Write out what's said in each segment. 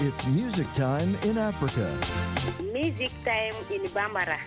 It's music time in Africa. Music Time in Bambara.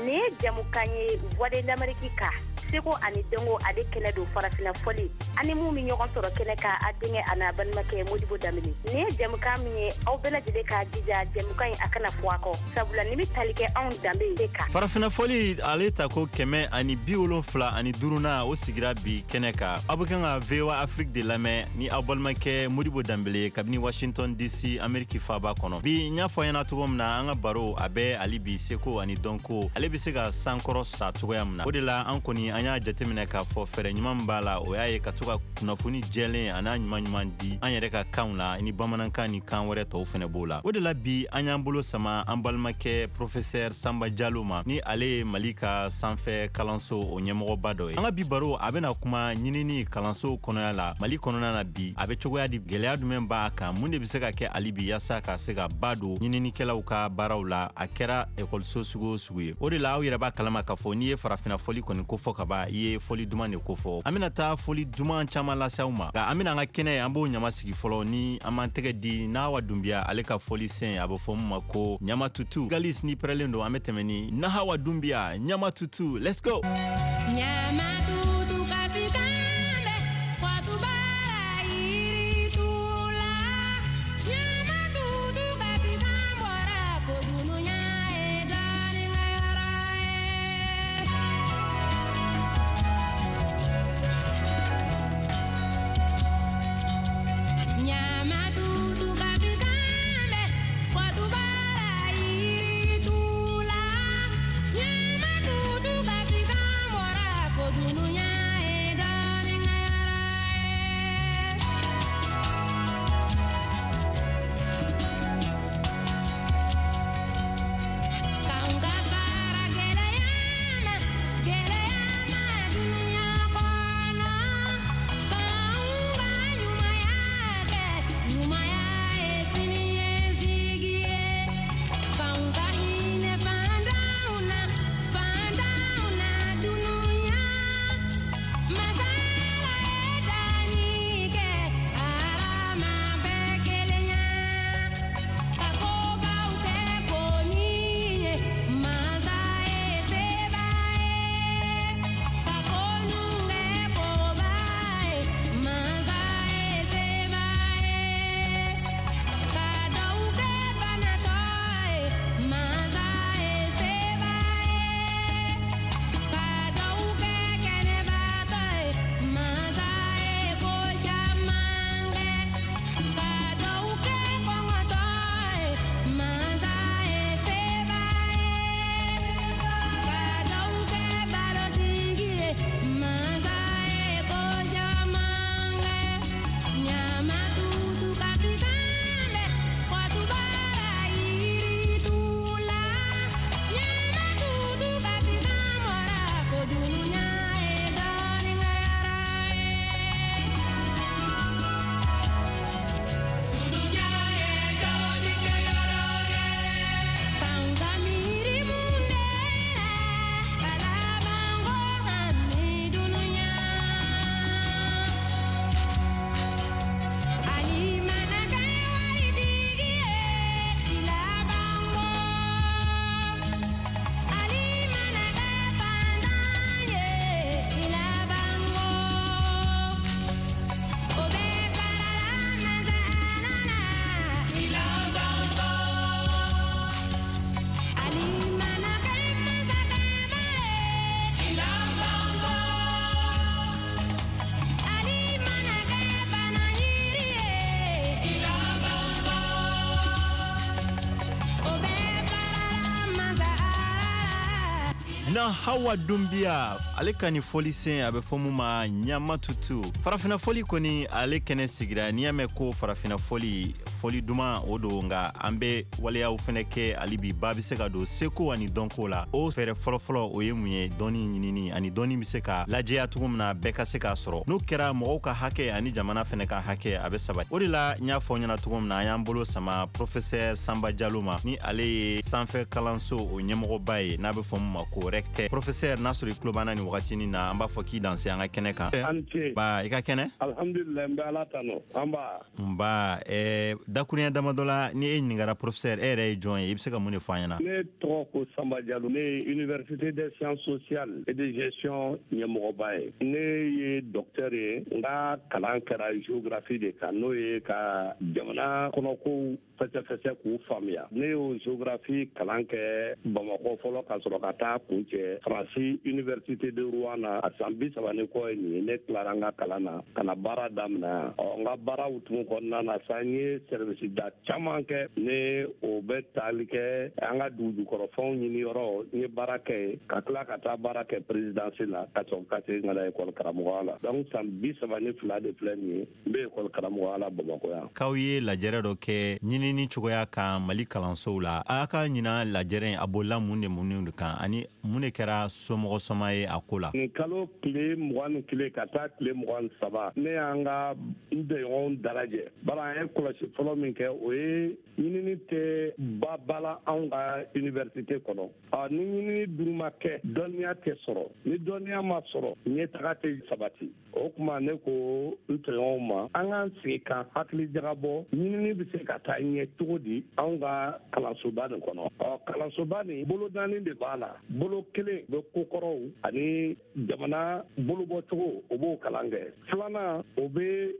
Nin ye jamukan ye Voix de l'Amérique ka seko ani dɔnko ale kɛnɛ don farafina fɔli ani mun bɛ ɲɔgɔn sɔrɔ kɛnɛ kan a denkɛ a n'a balimakɛ Modibo Danbele. Nin ye jamukan min ye aw bɛɛ lajɛlen k'a jija jamukan in a kana fɔ a kɔ sabula nin bɛ tali kɛ anw danbe de kan. Farafina fɔli ale ta ko 175nan, o sigira bi kɛnɛ kan. Aw bɛ kan ka VOA Afrique de lamɛn ni aw balimakɛ Modibo Danbele ye kabini Washington DC, Ameriki faaba kɔnɔ. Bi, n y'a fɔ ɲɛna cogo min na, an ka baro a bɛ hali bi seko ani dɔnko, ale bɛ se ka sankɔrɔ sa cogoya min na. O de la an kɔni an y'a jateminɛ k'a fɔ fɛɛrɛ ɲuman min b'a la, o y'a ye ka to ka kunnafoni jɛlen a n'a ɲuman ɲuman di an yɛrɛ ka kanw la, ni bamanankan ni kan wɛrɛ tɔw fɛnɛ b'o la. O de la bi an y'an bolo sama an balimakɛ professeur Samba Jalo ma, ni ale ye Mali ka sanfɛ kalanso o ɲɛmɔgɔba dɔ ye. An ka bi baro a bɛna kuma ɲinini kalanso kɔnɔya la Mali kɔnɔna na bi, a bɛ cogoya di, gɛlɛya jumɛn b'a kan, mun de bɛ se ka kɛ hali bi yaasa ka se ka ba don ɲininikɛlaw ka baaraw la, a kɛra ekɔliso sugu o sugu ye. O de la aw yɛrɛ b'a kalama k'a fɔ n'i ye farafina fɔli kɔni kofɔ ka ban, i ye fɔli duman de kofɔ. An bɛna taa fɔli duman caman lase aw ma, nka an bɛna an ka kɛnɛ an b'o ɲama sigi fɔlɔ ni an b'an tɛgɛ di Nahawa Dunbiya ale ka fɔli sen, a bɛ fɔ min ma ko Ɲama Tutu. Galis ni pɛrɛlen don, an bɛ tɛmɛ ni Nahawa Dunbiya Ɲama Tutu. Let's go. Ɲama tutu kasi kan bɛ kɔtubara yiritu la. Ɲama tutu kasi kan bɔra ko dunuya ye dɔnnikɛyɔrɔ ye. Ɲama tutu kasi kan bɛ kɔtubara yiritu la. Ɲama tutu kasi kan bɔra ko dunuya ye dɔnnikɛyɔrɔ ye. K'anw ka fara gɛlɛya ma, gɛlɛya ma dunuya kɔnɔ. K'anw ka ɲumanya kɛ, ɲumanya ye siniɲɛsigi ye. K'anw ka hinɛ faantanw na, faantanw na dunuya. Masa Ala ye danni kɛ, hadama bɛɛ kelen ya. Ka kobaw kɛ koni ye, masa ye seba ye. Ka konu kɛ koba ye, masa ye seba ye. Ka dɔw kɛ banatɔ ye, masa ye seba ye. Ka dɔw kɛ kɛnɛbatɔ ye, masa ye ko caman kɛ. Ka dɔw kɛ kɔngɔtɔ ye, masa ye seba ye. Ka dɔw kɛ balotigi ye, masa ye ko caman kɛ. Ɲama tutu kasi kan bɛ kɔtubara yiritu la. Ɲama tutu kasi kan bɔra ko dunuya ye dɔnnikɛyɔrɔ ye. Dunuya ye dɔnnikɛyɔrɔ ye. K'anw ka miiri mun de la, ka laban ko hami dunuya. Ali mana kɛ waritigi ye, i laban ko. Ali mana kɛ faantan ye, i laban ko. O bɛɛ farala masa Ala la, i laban ko. Ali mana kɛ masakɛba ye, i laban ko. Ali mana kɛ banayiri ye, i laban ko. O bɛɛ farala masa Ala la. Na Hawa Dunbiya ale ka nin fɔlisen, a bɛ fɔ mun ma Ɲama Tutu. Farafina fɔli kɔni ale kɛnɛ sigira. N'i y'a mɛn ko farafina fɔli, fɔli duman o don, nka an bɛ waleyaw fɛnɛ kɛ hali bi ba bɛ se ka don seko ani dɔnko la. O fɛɛrɛ fɔlɔfɔlɔ o ye mun ye? Dɔnni ɲinini ani dɔnni bɛ se ka lajɛya cogo min na bɛɛ ka se k'a sɔrɔ. N'o kɛra, mɔgɔw ka hakɛ ani jamana fɛnɛ ka hakɛ a bɛ sabati. O de la n y'a fɔ ɲɛna cogo min na, an y'an bolo sama professeur Samba Jalo ma, ni ale ye sanfɛ kalanso o ɲɛmɔgɔba ye, n'a bɛ fɔ mun ma ko recteur. Professeur, n'a sɔrɔ i tulo b'an na nin wagatinin na, an b'a fɔ k'i danse an ka kɛnɛ kan. An ce. Ba, i ka kɛnɛ? Alhamdulilayi, n bɛ Ala tanu. An ba. Nba. Dakuruɲɛ damadɔ la, ni e ɲininkara professeur, e yɛrɛ ye jɔn ye, i bɛ se ka mun de fɔ an ɲɛna? Ne tɔgɔ ko Sanba Jalo, ne ye Université des sciences sociales et de gestion ɲɛmɔgɔba ye. Ne ye docteur ye, n ka kalan kɛra géographie de kan, n'o ye ka jamana kɔnɔkow fɛsɛfɛsɛ k'u faamuya. Ne y'o géographie kalan kɛ Bamakɔ fɔlɔ, ka sɔrɔ ka taa kuncɛ Faransi Université de Rouen na. A san 30 ni kɔ ye nin ye, ne tilara n ka kalan na ka na baara daminɛ yan. Ɔ, n ka baara hukumu kɔnɔna na sa, n ye service da caman kɛ, ne o bɛ taali kɛ an ka dugujukɔrɔfɛnw ɲini yɔrɔ, n ye baara kɛ yen, ka tila ka taa baara kɛ présidence la, ka sɔrɔ ka segin ka na école karamɔgɔya la. Donc san 32 de filɛ nin ye, n bɛ école karamɔgɔya la Bamakɔ yan. K'aw ye lajɛrɛ dɔ kɛ ɲinini cogoya kan Mali kalansow la, a ka ɲina lajɛrɛ in, a bolila mun de mun de kan, ani mun de kɛra somɔgɔ sɔma ye a ko la? Nin kalo tile 21 ka taa tile 23, ne y'an ka n bɛnɲɔgɔnw dalajɛ. Bari an ye kɔlɔsi fɔlɔ min kɛ, o ye ɲinini tɛ ba ba la anw ka université kɔnɔ. Ni ɲinini dun ma kɛ, dɔnniya tɛ sɔrɔ. Ni dɔnniya ma sɔrɔ, ɲɛtaga tɛ sabati. O tuma ne ko n tɔɲɔgɔnw ma, an k'an sigi ka hakili jagabɔ, ɲinini bɛ se ka taa ɲɛ cogo di anw ka kalansoba nin kɔnɔ. Ɔ, kalansoba nin, bolo naani de b'a la. Bolo kelen bɛ kokɔrɔw ani jamana bolobɔcogo, o b'o kalan kɛ. Filanan, o bɛ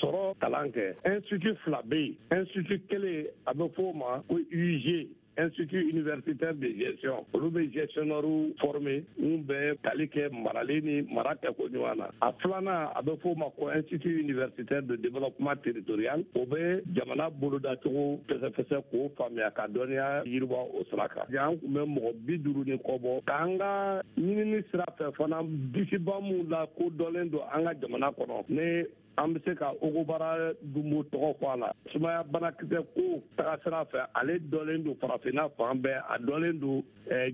sɔrɔ kalan kɛ. Institut fila bɛ yen. Institut kelen, a bɛ fɔ o ma ko UG, Institut universitaire de gestion. Olu bɛ gestionnaire former mun bɛ tali kɛ marali ni mara kɛko ɲuman na. A filanan, a bɛ fɔ o ma ko Institut universitaire de développement territorial. O bɛ jamana bolodacogo fɛsɛfɛsɛ k'o faamuya ka dɔnniya yiriwa o sira kan. An tun bɛ mɔgɔ 50 ni kɔ bɔ k'an ka ɲinini sira fɛ fana, disiba mun la ko dɔnlen don an ka jamana kɔnɔ, ne an bɛ se ka Ogobara Dunbo tɔgɔ fɔ a la. Sumaya banakisɛ ko taga sira fɛ, ale dɔlen don farafinna fan bɛɛ, a dɔlen don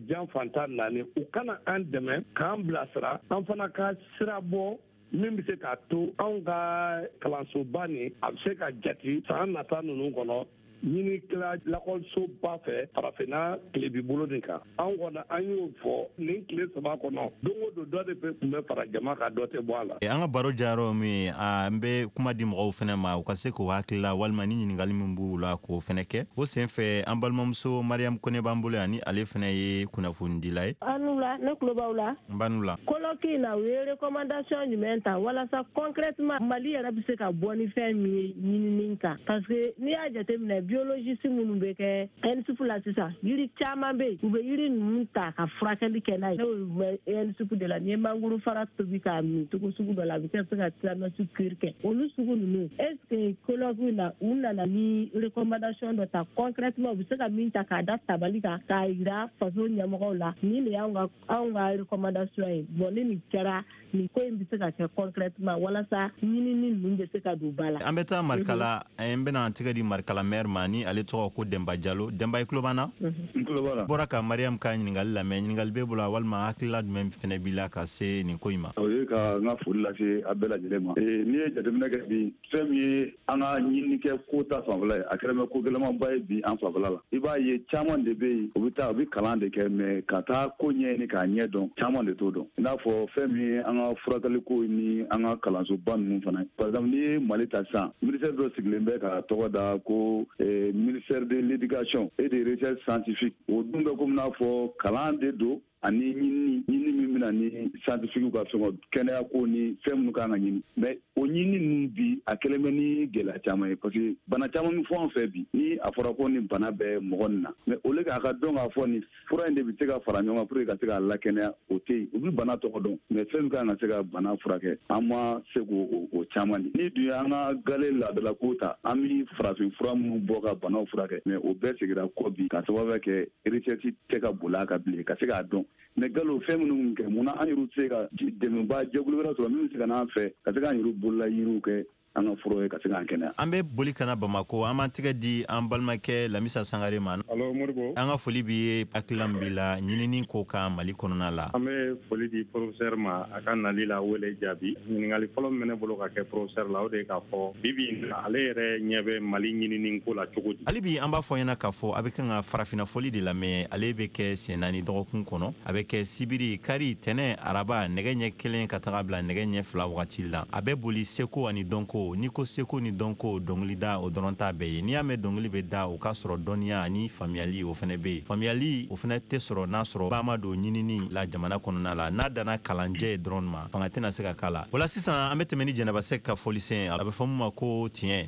jan fan 14. U kana an dɛmɛ k'an bilasira, an fana ka sira bɔ min bɛ se k'a to anw ka kalansoba nin, a bɛ se ka jate san nata ninnu kɔnɔ ɲinikɛla lakɔlisoba fɛ farafinna tilebi bolo nin kan. An kɔni, an y'o fɔ nin tile 3 kɔnɔ, don o don dɔ de bɛ tun bɛ fara jama kan, dɔ tɛ bɔ a la. An ka baro jayɔrɔ min ye, an bɛ kuma di mɔgɔw fɛnɛ ma, u ka se k'u hakilila walima ni ɲininkali min b'u la k'o fɛnɛ kɛ. O sen fɛ, an balimamuso Mariam Kone b'an bolo yan, ni ale fɛnɛ ye kunnafonidila ye. Aw ni wula, ne tulo b'aw la. N b'a la. Colloque in na, u ye recommandation jumɛn ta walasa concrètement Mali yɛrɛ bɛ se ka bɔ ni fɛn min ye ɲinini kan? Parce que n'i y'a jateminɛ, biologiste minnu bɛ kɛ ENSUP la sisan, yiri caman bɛ yen, u bɛ yiri ninnu ta ka furakɛli kɛ n'a ye. N'o bɛ ENSUP de la, n'i ye mangoro fara tobi k'a min cogo sugu dɔ la, a bɛ se ka tétanos cure kɛ. Olu sugu ninnu, est ce que colloque in na, u nana ni recommandation dɔ ta concrètement, u bɛ se ka min ta k'a da tabali kan k'a yira faso ɲɛmɔgɔw la, nin de y'anw ka anw ka recommandation ye? Bon, ni nin kɛra, nin ko in bɛ se ka kɛ concrètement walasa ɲinini ninnu bɛ se ka don ba la. An bɛ taa Marikala, n bɛna an tɛgɛ di Marikala maire ma, ni ale tɔgɔ ko Denba Jalo. Denba, i tulo b'an na? N tulo b'a la. Bɔra ka Mariam ka ɲininkali lamɛn, ɲininkali b'e bolo walima hakilila jumɛn fɛnɛ b'i la ka se nin ko in ma? O ye ka n ka foli lase a bɛɛ lajɛlen ma. N'i ye jateminɛ kɛ bi, fɛn min ye an ka ɲininikɛ ko ta fanfɛla ye, a kɛra bɛ ko gɛlɛnmanba ye bi an fanfɛla la. I b'a ye, caman de bɛ yen, u bɛ taa, u bɛ kalan de kɛ, mais ka taa ko ɲɛɲini k'a ɲɛ dɔn, caman de t'o dɔn. I n'a fɔ fɛn min ye an ka furakɛli ko ni an ka kalansoba ninnu fana. Par exemple, n'i ye Mali ta sisan, ministère dɔ sigilen bɛ ka tɔgɔ da ko ministère de l'éducation et de recherche scientifique. O dun bɛ komi n'a fɔ kalan de don ani ɲinini, ɲinini min bɛna ni scientifique ka fɛngɛ, kɛnɛya ko ni fɛn minnu kan ka ɲini. Mais o ɲinini ninnu bi, a kɛlen bɛ ni gɛlɛya caman ye, parce que bana caman bɛ fɔ an fɛ bi, ni a fɔra ko nin bana bɛ mɔgɔ nin na, mais au lieu k'a ka dɔn k'a fɔ nin fura in de bɛ se ka fara ɲɔgɔn kan pour que ka se k'a lakɛnɛya, o tɛ yen. U bɛ bana tɔgɔ dɔn, mais fɛn min kan ka se ka bana furakɛ, an ma se k'o o caman di. Ni dun ye an ka gale laadalako ta, an bɛ farafin fura minnu bɔ ka banaw furakɛ, mais o bɛɛ seginna kɔ bi, ka sababu kɛ recherche tɛ ka boli a kan bilen ka se k'a dɔn. Mais galo fɛn minnu kɛ, mun na an yɛrɛ tɛ se ka dɛmɛba jɛkulu wɛrɛ sɔrɔ min bɛ se ka n'an fɛ ka se k'an yɛrɛ bolola yiriw kɛ an ka fura ye ka se k'an kɛnɛya? An bɛ boli ka na Bamako, an b'an tɛgɛ di an balimakɛ Lamisa Sangare ma. Allo Modibo. An ka foli b'i ye. Hakilila min b'i la ɲinini ko kan Mali kɔnɔna la? An bɛ foli di professeur ma a ka nali la wele jaabi. Ɲininkali fɔlɔ min bɛ ne bolo ka kɛ professeur la, o de ye k'a fɔ bi bi in na, ale yɛrɛ ɲɛ bɛ Mali ɲinini ko la cogo di? Hali bi, an b'a fɔ ɲɛna k'a fɔ a bɛ kan ka farafinna fɔli de lamɛn. Ale bɛ kɛ siɲɛ naani dɔgɔkun kɔnɔ. A bɛ kɛ sibiri, kari, tɛnɛ, araba, nɛgɛ ɲɛ 1 ka taga bila nɛgɛ ɲɛ 2 wagati la. A bɛ boli seko ani dɔnko. dɔnko. N'i ko seko ni dɔnko, dɔnkilida o dɔrɔn t'a bɛɛ ye. N'i y'a mɛn dɔnkili bɛ da, o k'a sɔrɔ dɔnniya ani faamuyali o fɛnɛ bɛ yen. Faamuyali o fɛnɛ tɛ sɔrɔ n'a sɔrɔ ba ma don ɲinini la jamana kɔnɔna la. N'a danna kalanjɛ dɔrɔn ma, fanga tɛna se ka k'a la. O la sisan, an bɛ tɛmɛ ni Jɛnɛba Sɛk ka fɔlisen, a bɛ fɔ min ma ko tiɲɛ.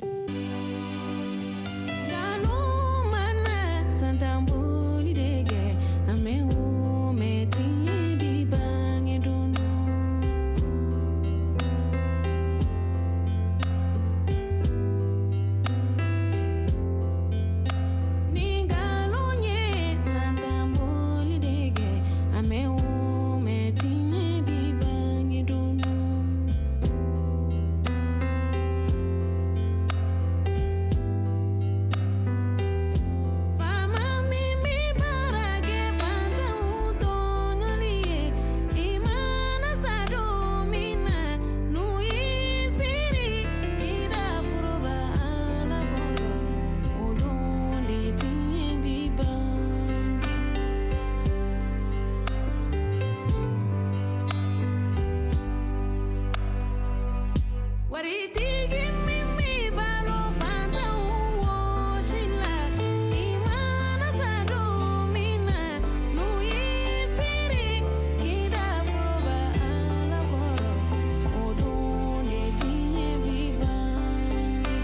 Nkalon mana santanboli de kɛ, an bɛ o mɛn tiɲɛ bi bange don dɔ. Ni nkalon ye santanboli de kɛ, an bɛ o mɛn tiɲɛ bi bange don dɔ. Faama min bɛ baara kɛ faantanw tɔɲɔli ye, i mana sa don min na, n'u y'i siri k'i da foroba Ala kɔrɔ, o don de tiɲɛ bi bange. Waritigi min bɛ balo faantanw wɔsi la, i mana sa don min na, n'u y'i siri k'i da foroba Ala kɔrɔ, o don de tiɲɛ bi bange.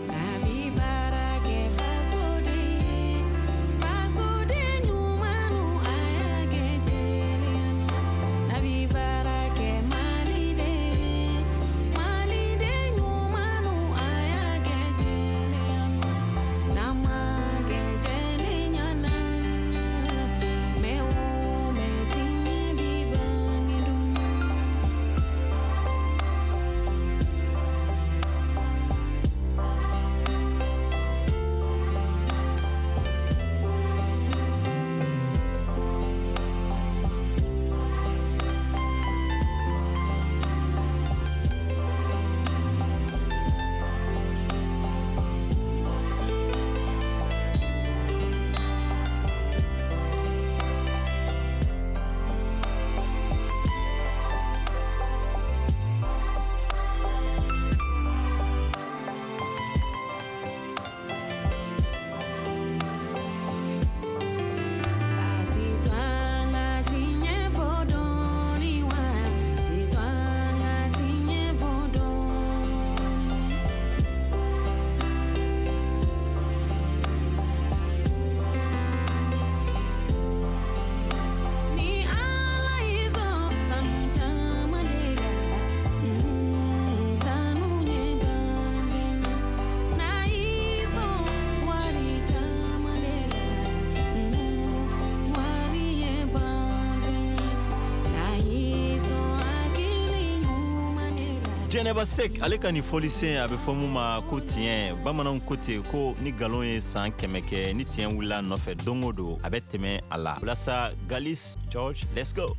Nabi baara kɛ fasoden ye, fasoden ɲumannu a y'a kɛ teliya la. Nabi baara kɛ Maliden ye, Maliden ɲumannu a y'a kɛ teliya la. N'an m'a kɛ jɛlenya la, mɛ o mɛ tiɲɛ bi bange don dɔ. A ti to an ka tiɲɛ fɔ dɔɔni wa, ti to an ka tiɲɛ fɔ dɔɔni. Ni Ala y'i sɔn sanu caman de la, sanu ye banbɛn ye. N'a y'i sɔn wari caman de la, wari ye banfɛn ye. N'a y'i sɔn hakili ɲuman de la. Jɛnɛba Sek ale ka nin fɔlisen, a bɛ fɔ mun ma ko tiɲɛ. Bamananw ko ten ko ni nkalon ye san 100 kɛ, ni tiɲɛ wulila a nɔfɛ don o don, a bɛ tɛmɛ a la. Walasa Galis George, let's go.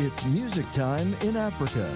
It's music time in Africa.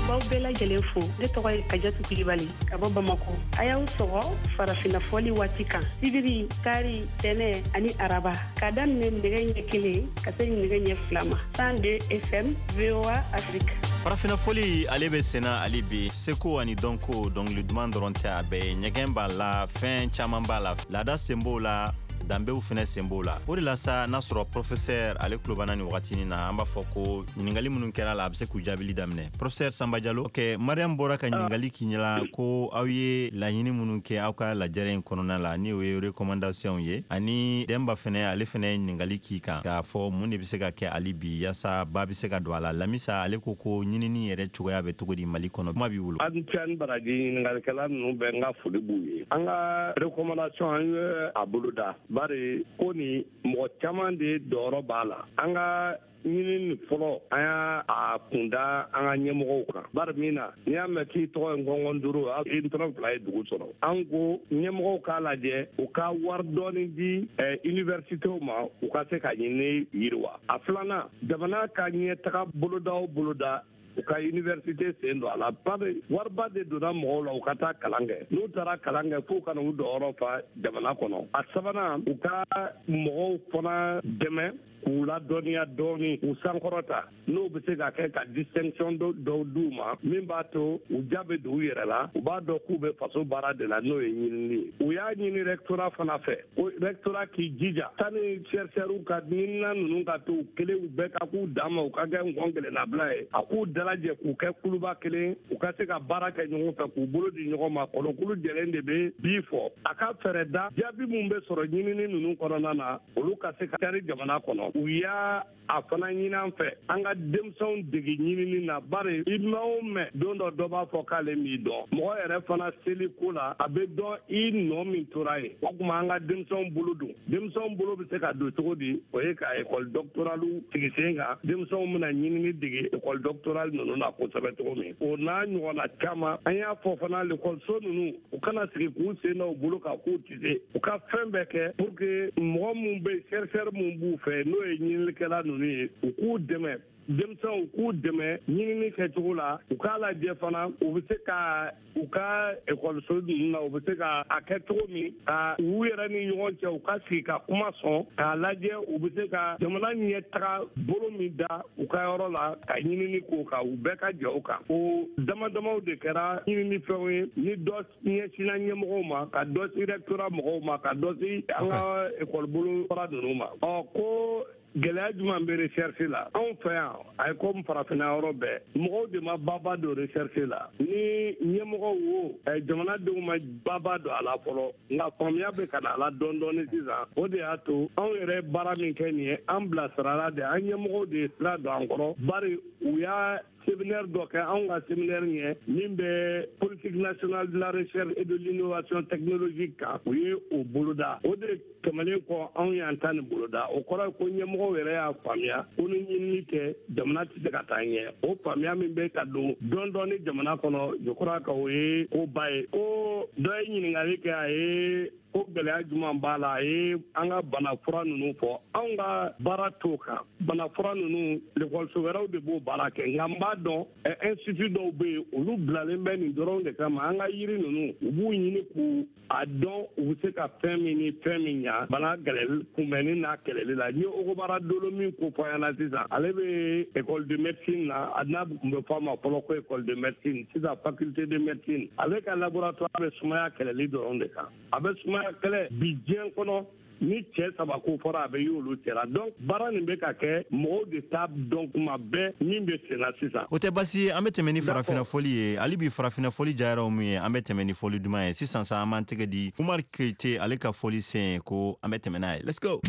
B'aw bɛɛ lajɛlen fo. Ne tɔgɔ ye Kajatu Kulibali ka bɔ Bamako. A y'aw sɔgɔ farafinna fɔli waati kan, sibiri, kari, tɛnɛ ani araba, k'a daminɛ nɛgɛ ɲɛ 1 ka se nɛgɛ ɲɛ 2 ma, 102 FM, VOA Afrique. Farafinna fɔli ale bɛ senna hali bi. Seko ani dɔnko, dɔnkili duman dɔrɔn tɛ a bɛɛ ye. Ɲɛgɛn b'a la, fɛn caman b'a la, laada sen b'o la, danbew fɛnɛ sen b'o la. O de la sa, n'a sɔrɔ professeur ale tulo b'an na nin wagatinin na, an b'a fɔ ko ɲiningali minnu kɛra la, a bɛ se k'u jaabili daminɛ. Professeur Samba Jalo, ok, Mariam bɔra ka ɲiningali k'i ɲɛla ko aw ye laɲini minnu kɛ aw ka lajɛrɛ in kɔnɔna la, ni o ye recommandation ye, ani Denba fɛnɛ, ale fɛnɛ ye ɲiningali k'i kan k'a fɔ mun de bɛ se ka kɛ hali bi yaasa ba bɛ se ka don a la. Lamisa ale ko ko ɲinini yɛrɛ cogoya bɛ cogo di Mali kɔnɔ? Kuma b'i bolo. An cɛ ni baraji, ɲiningalikɛla ninnu bɛɛ, n ka foli b'u ye. An ka recommandation, an ye a boloda, bari ko ni mɔgɔ caman de dɔyɔrɔ b'a la. An ka ɲini nin fɔlɔ, an y'a a kunda an ka ɲɛmɔgɔw kan, bari min na n'i y'a mɛn k'i tɔgɔ ye ngɔngɔn duuru, i ntɔrɔ fila ye dugu sɔrɔ. An ko ɲɛmɔgɔw k'a lajɛ, u ka wari dɔɔni di universitéw ma, u ka se ka ɲini yiriwa. A filanan, jamana ka ɲɛtaga boloda o boloda. U ka université sen don a la, bari wariba de donna mɔgɔw la u ka taa kalan kɛ. N'u taara kalan kɛ, f'u ka na u dɔyɔrɔ fa jamana kɔnɔ. A sabanan, u ka mɔgɔw fana dɛmɛ k'u ladɔnniya dɔɔni, k'u sankɔrɔta, n'o bɛ se ka kɛ ka distinction dɔw d'u ma min b'a to u ja bɛ don u yɛrɛ la, u b'a dɔn k'u bɛ faso baara de la, n'o ye ɲinini ye. U y'a ɲini rectorat fana fɛ ko rectorat k'i jija sani chercheurs ka ɲinina ninnu ka to u kelen, u bɛɛ ka k'u dan ma, u ka kɛ ngɔn kelennabila ye, a k'u dalajɛ k'u kɛ kuluba kelen, u ka se ka baara kɛ ɲɔgɔn fɛ, k'u bolo di ɲɔgɔn ma. Kɔnɔkulu jɛlen de bɛ bi fɔ a ka fɛɛrɛ da jaabi min bɛ sɔrɔ ɲinini ninnu kɔnɔna na, olu ka se ka cari jamana kɔnɔ. U y'a a fana ɲini an fɛ an ka denmisɛnw dege ɲinini na, bari i mɛn o mɛn, don dɔ dɔ b'a fɔ k'ale m'i dɔn. Mɔgɔ yɛrɛ fana seli ko la, a bɛ dɔn i nɔ min tora yen. O tuma an ka denmisɛnw bolo don. Denmisɛnw bolo bɛ se ka don cogo di? O ye ka école doctorale sigi sen kan, denmisɛnw bɛna ɲinini dege école doctorale ninnu na kosɛbɛ cogo min. O n'a ɲɔgɔnna caman. An y'a fɔ fana, lekɔliso ninnu, u kana sigi k'u sen da u bolo kan k'u tɛ se, u ka fɛn bɛɛ kɛ pour que mɔgɔ min bɛ chercheur min b'u fɛ, n'o ye ɲininikɛla ninnu ye, u k'u dɛmɛ, denmisɛnw k'u dɛmɛ ɲinini kɛcogo la. U k'a lajɛ fana, u bɛ se ka u ka ekɔliso ninnu na, u bɛ se ka a kɛ cogo min ka u yɛrɛ ni ɲɔgɔn cɛ, u ka sigi ka kuma sɔn k'a lajɛ u bɛ se ka jamana ɲɛ taga bolo min da u ka yɔrɔ la ka ɲinini k'o kan, u bɛɛ ka jɛ o kan. O dama damaw de kɛra ɲinini fɛnw ye, ni dɔ ɲɛsinna ɲɛmɔgɔw ma, ka dɔ si rectorat mɔgɔw ma, ka dɔ si an ka ekɔli bolo fara ninnu ma. Ɔ ko gɛlɛya jumɛn bɛ recherche la anw fɛ yan? A ye komi farafinna yɔrɔ bɛɛ, mɔgɔw de ma baba don recherche la, ni ɲɛmɔgɔw wo, jamanadenw ma baba don a la fɔlɔ, nka faamuya bɛ ka na a la dɔɔni dɔɔni sisan. O de y'a to anw yɛrɛ baara min kɛ nin ye, an bilasirala de, an ɲɛmɔgɔw de ye sira don an kɔrɔ, bari u y'a séminaire dɔ kɛ anw ka séminaire ɲɛ min bɛ politique nationale de la recherche et de l'innovation technologique kan, u ye o boloda. O de tɛmɛnen kɔ, anw y'an ta nin boloda. O kɔrɔ ye ko ɲɛmɔgɔw yɛrɛ y'a faamuya ko ni ɲinini tɛ, jamana tɛ se ka taa ɲɛ. O faamuya min bɛ ka don dɔɔni dɔɔni jamana kɔnɔ, je crois que o ye koba ye. Ko dɔ ye ɲininkali kɛ, a ye ko gɛlɛya jumɛn b'a la? A ye an ka bana fura ninnu fɔ. Anw ka baara t'o kan. Bana fura ninnu, lekɔliso wɛrɛw de b'o baara kɛ, nka n b'a dɔn institut dɔw bɛ yen, olu bilalen bɛ nin dɔrɔn de kama. An ka yiri ninnu, u b'u ɲini k'u a dɔn u bɛ se ka fɛn min ni fɛn min ɲa bana gɛlɛli kunbɛnni n'a kɛlɛli la. N ye Ogobara Dolo min ko fɔ ɲɛna sisan, ale bɛ école de médecine na, a n'a tun bɛ fɔ a ma fɔlɔ ko école de médecine, sisan faculté de médecine. Ale ka laboratoire bɛ sumaya kɛlɛli dɔrɔn de kan. A bɛ sumaya kɛlɛ bi diɲɛ kɔnɔ, ni cɛ saba ko fɔra, a bɛ y'olu cɛla. Donc baara nin bɛ ka kɛ, mɔgɔw de t'a dɔn kuma bɛɛ min bɛ sen na sisan. O tɛ basi ye. An bɛ tɛmɛ ni farafinna fɔli ye. Hali bi farafinna fɔli jayara min ye, an bɛ tɛmɛ ni fɔli duman ye sisan sa. An b'an tɛgɛ di Umar Keyite, ale ka fɔli sen ko an bɛ tɛmɛ n'a ye. Let's go.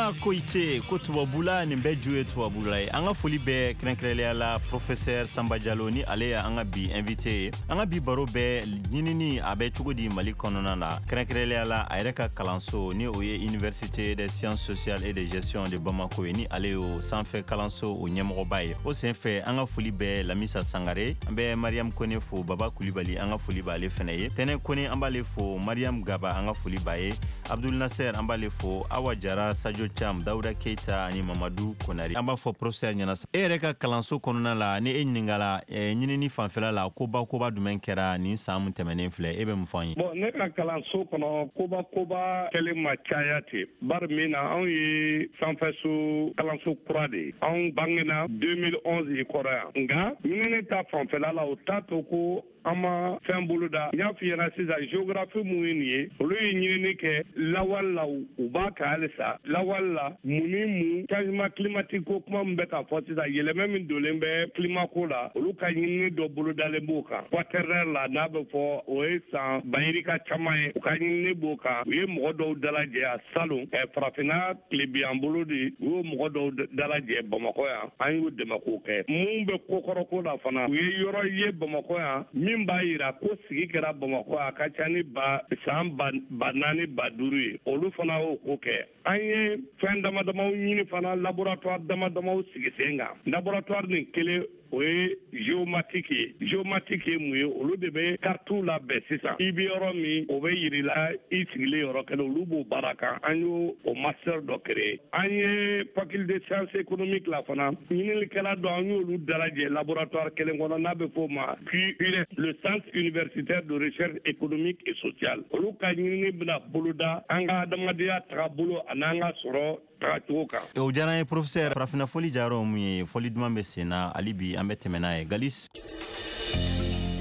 Moussa Koite ko tubabula nin bɛɛ ju ye tubabula ye. An ka foli bɛɛ kɛrɛnkɛrɛnlenya la professeur Samba Diallo, ni ale ye an ka bi invité ye. An ka bi baro bɛ ɲinini a bɛ cogo di Mali kɔnɔna na, kɛrɛnkɛrɛnlenya la a yɛrɛ ka kalanso, ni o ye Université des sciences sociales et de gestion de Bamako ye, ni ale y'o sanfɛ kalanso o ɲɛmɔgɔba ye. O senfɛ, an ka foli bɛ Lamisa Sangare, an bɛ Mariam Kone fo, Baba Kulibali, an ka foli b'ale fɛnɛ ye, Tɛnɛ Kone, an b'ale fo, Mariam Gaba, an ka foli b'a ye, Abdul Nasser, an b'ale fo, Awa Jara, Sadio Cham, Dawuda Keita ani Mamadu Konari. An b'a fɔ professeur ɲɛna, e yɛrɛ ka kalanso kɔnɔna la, ni e ɲininkala ɲinini fanfɛla la, koba koba jumɛn kɛra nin san mun tɛmɛnen filɛ, e bɛ mun fɔ an ye? Bon, ne ka kalanso kɔnɔ, koba koba kɛlen ma caya ten, bari min na anw ye sanfɛso kalanso kura de ye. Anw bangena 2011 i kɔrɔ yan. Nka ɲinini ta fanfɛla la, o t'a to ko an ma fɛn bolo da. N y'a f'i ɲɛna sisan, géographie mun ye nin ye, olu ye ɲinini kɛ lawale la, u b'a kɛ halisa lawale la. Mun ni mun? Changement climatique ko kuma min bɛ ka fɔ sisan, yɛlɛmɛ min donlen bɛ climat ko la, olu ka ɲinini dɔ bolodalen b'o kan. Quaternaire la, n'a bɛ fɔ, o ye san bayirika caman ye, u ka ɲinini b'o kan. U ye mɔgɔ dɔw dalajɛ a salon, farafinna tilebiyan bolo de, u y'o mɔgɔ dɔw dalajɛ Bamakɔ yan, an y'u dɛmɛ k'o kɛ. Mun bɛ kokɔrɔko la fana, u ye yɔrɔ ye Bamakɔ yan min b'a yira ko sigi kɛra Bamakɔ a ka ca ni ba san 4000, 5000 ye, olu fana y'o ko kɛ. An ye fɛn dama damaw ɲini fana, laboratoire dama damaw sigi sen kan. Laboratoire nin kelen, o ye géomatique ye. Géomatique ye mun ye? Olu de bɛ kartiw labɛn sisan, i bɛ yɔrɔ min, o bɛ yirila i sigilen yɔrɔ kelen, olu b'o baara kan. An y'o o master dɔ créer. An ye faculté sciences économiques la fana, ɲininikɛla dɔ, an y'olu dalajɛ laboratoire kelen kɔnɔ, n'a bɛ f'o ma CURES, le centre universitaire de recherche économique et sociale. Olu ka ɲinini bɛna boloda an ka adamadenya tagabolo an'an ka sɔrɔ tagacogo kan. O diyara n ye, professeur. Farafinna fɔli jayɔrɔ mun ye, fɔli duman bɛ sen na hali bi, an bɛ tɛmɛ n'a ye, Galis.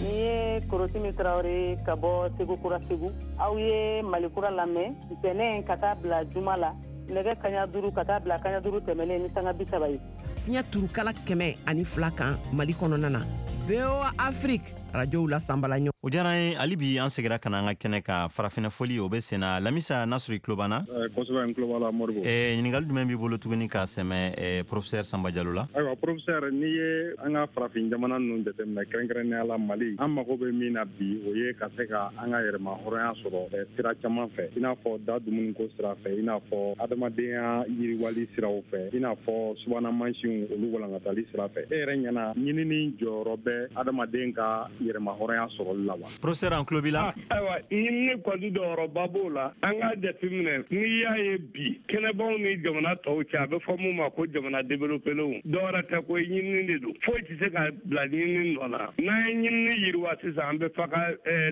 Ni ye Korotimi Tarawele ka bɔ Segu Kura, Segu. Aw ye Mali Kura lamɛn ntɛnɛn ka taa bila juma la, nɛgɛ kaɲa 5 ka taa bila kaɲa 5 tɛmɛnen ni sanga 30 ye. Fiɲɛ turukala 102 kan Mali kɔnɔna na, VOA Afrique rajow la sanbala ɲɔgɔn. O diyara an ye. Hali bi an segira ka na an ka kɛnɛ kan, farafinna fɔli o bɛ sen na. Lamisa, n'a sɔrɔ i tulo b'an na? Kosɛbɛ, n tulo b'a la, Modibo. Ɲininkali jumɛn b'i bolo tuguni k'a sɛmɛ professeur Samba Diallo la? Ayiwa professeur, n'i ye an ka farafin jamana ninnu jateminɛ, kɛrɛnkɛrɛnnenya la Mali, an mago bɛ min na bi, o ye ka se ka an ka yɛrɛma hɔrɔnya sɔrɔ sira caman fɛ, i n'a fɔ da dumuniko sira fɛ, i n'a fɔ adamadenya yiriwali siraw fɛ, i n'a fɔ subahana mansinw olu walankatali sira fɛ. E yɛrɛ ɲɛna, ɲinini jɔyɔrɔ bɛ adamaden ka yɛrɛma hɔrɔnya sɔrɔli la wa? Professeur, an tulo b'i la. Ayiwa, ɲinini kɔni jɔyɔrɔba b'o la. An k'a jateminɛ, n'i y'a ye bi kɛnɛbaw ni jamana tɔw cɛ, a bɛ fɔ mun ma ko jamana développelenw, dɔwɛrɛ tɛ ko ɲinini de don. Foyi tɛ se ka bila ɲinini nɔ na. N'an ye ɲinini yiriwa sisan, an bɛ fa ka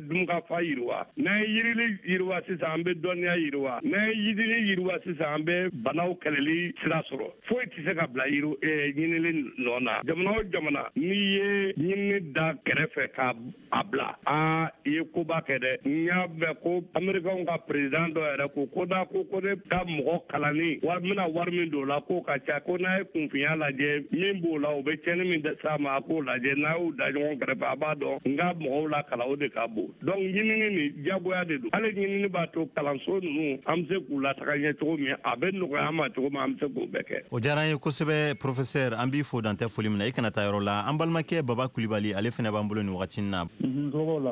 dunkafa yiriwa. N'an ye yirili yiriwa sisan, an bɛ dɔnniya yiriwa. N'an ye yirili yiriwa sisan, an bɛ banaw kɛlɛli sira sɔrɔ. Foyi tɛ se ka bila ɲinili nɔ na. Jamana o jamana, n'i ye ɲinini da kɛrɛfɛ ka a bila, aa, i ye koba kɛ dɛ. N y'a mɛn ko Américain ka président dɔ yɛrɛ ko ko n'a ko ko ne ka mɔgɔ kalanni wari, n bɛna wari min don o la, k'o ka ca, ko n'a ye kunfinya lajɛ min b'o la, o bɛ tiɲɛni min s'a ma, a k'o lajɛ, n'a y'o da ɲɔgɔn kɛrɛfɛ, a b'a dɔn n ka mɔgɔw la kalan, o de ka bon. Donc ɲinini nin diyagoya de don. Hali ɲinini b'a to kalanso ninnu, an bɛ se k'u lataga ɲɛ cogo min, a bɛ nɔgɔya an ma cogo min, an bɛ se k'o bɛɛ kɛ. O diyara an ye kosɛbɛ, professeur. An b'i fo dantɛ foli min na. I kana taa yɔrɔ la, an balimakɛ Baba Kulibali, ale fana b'an bolo nin wagati na.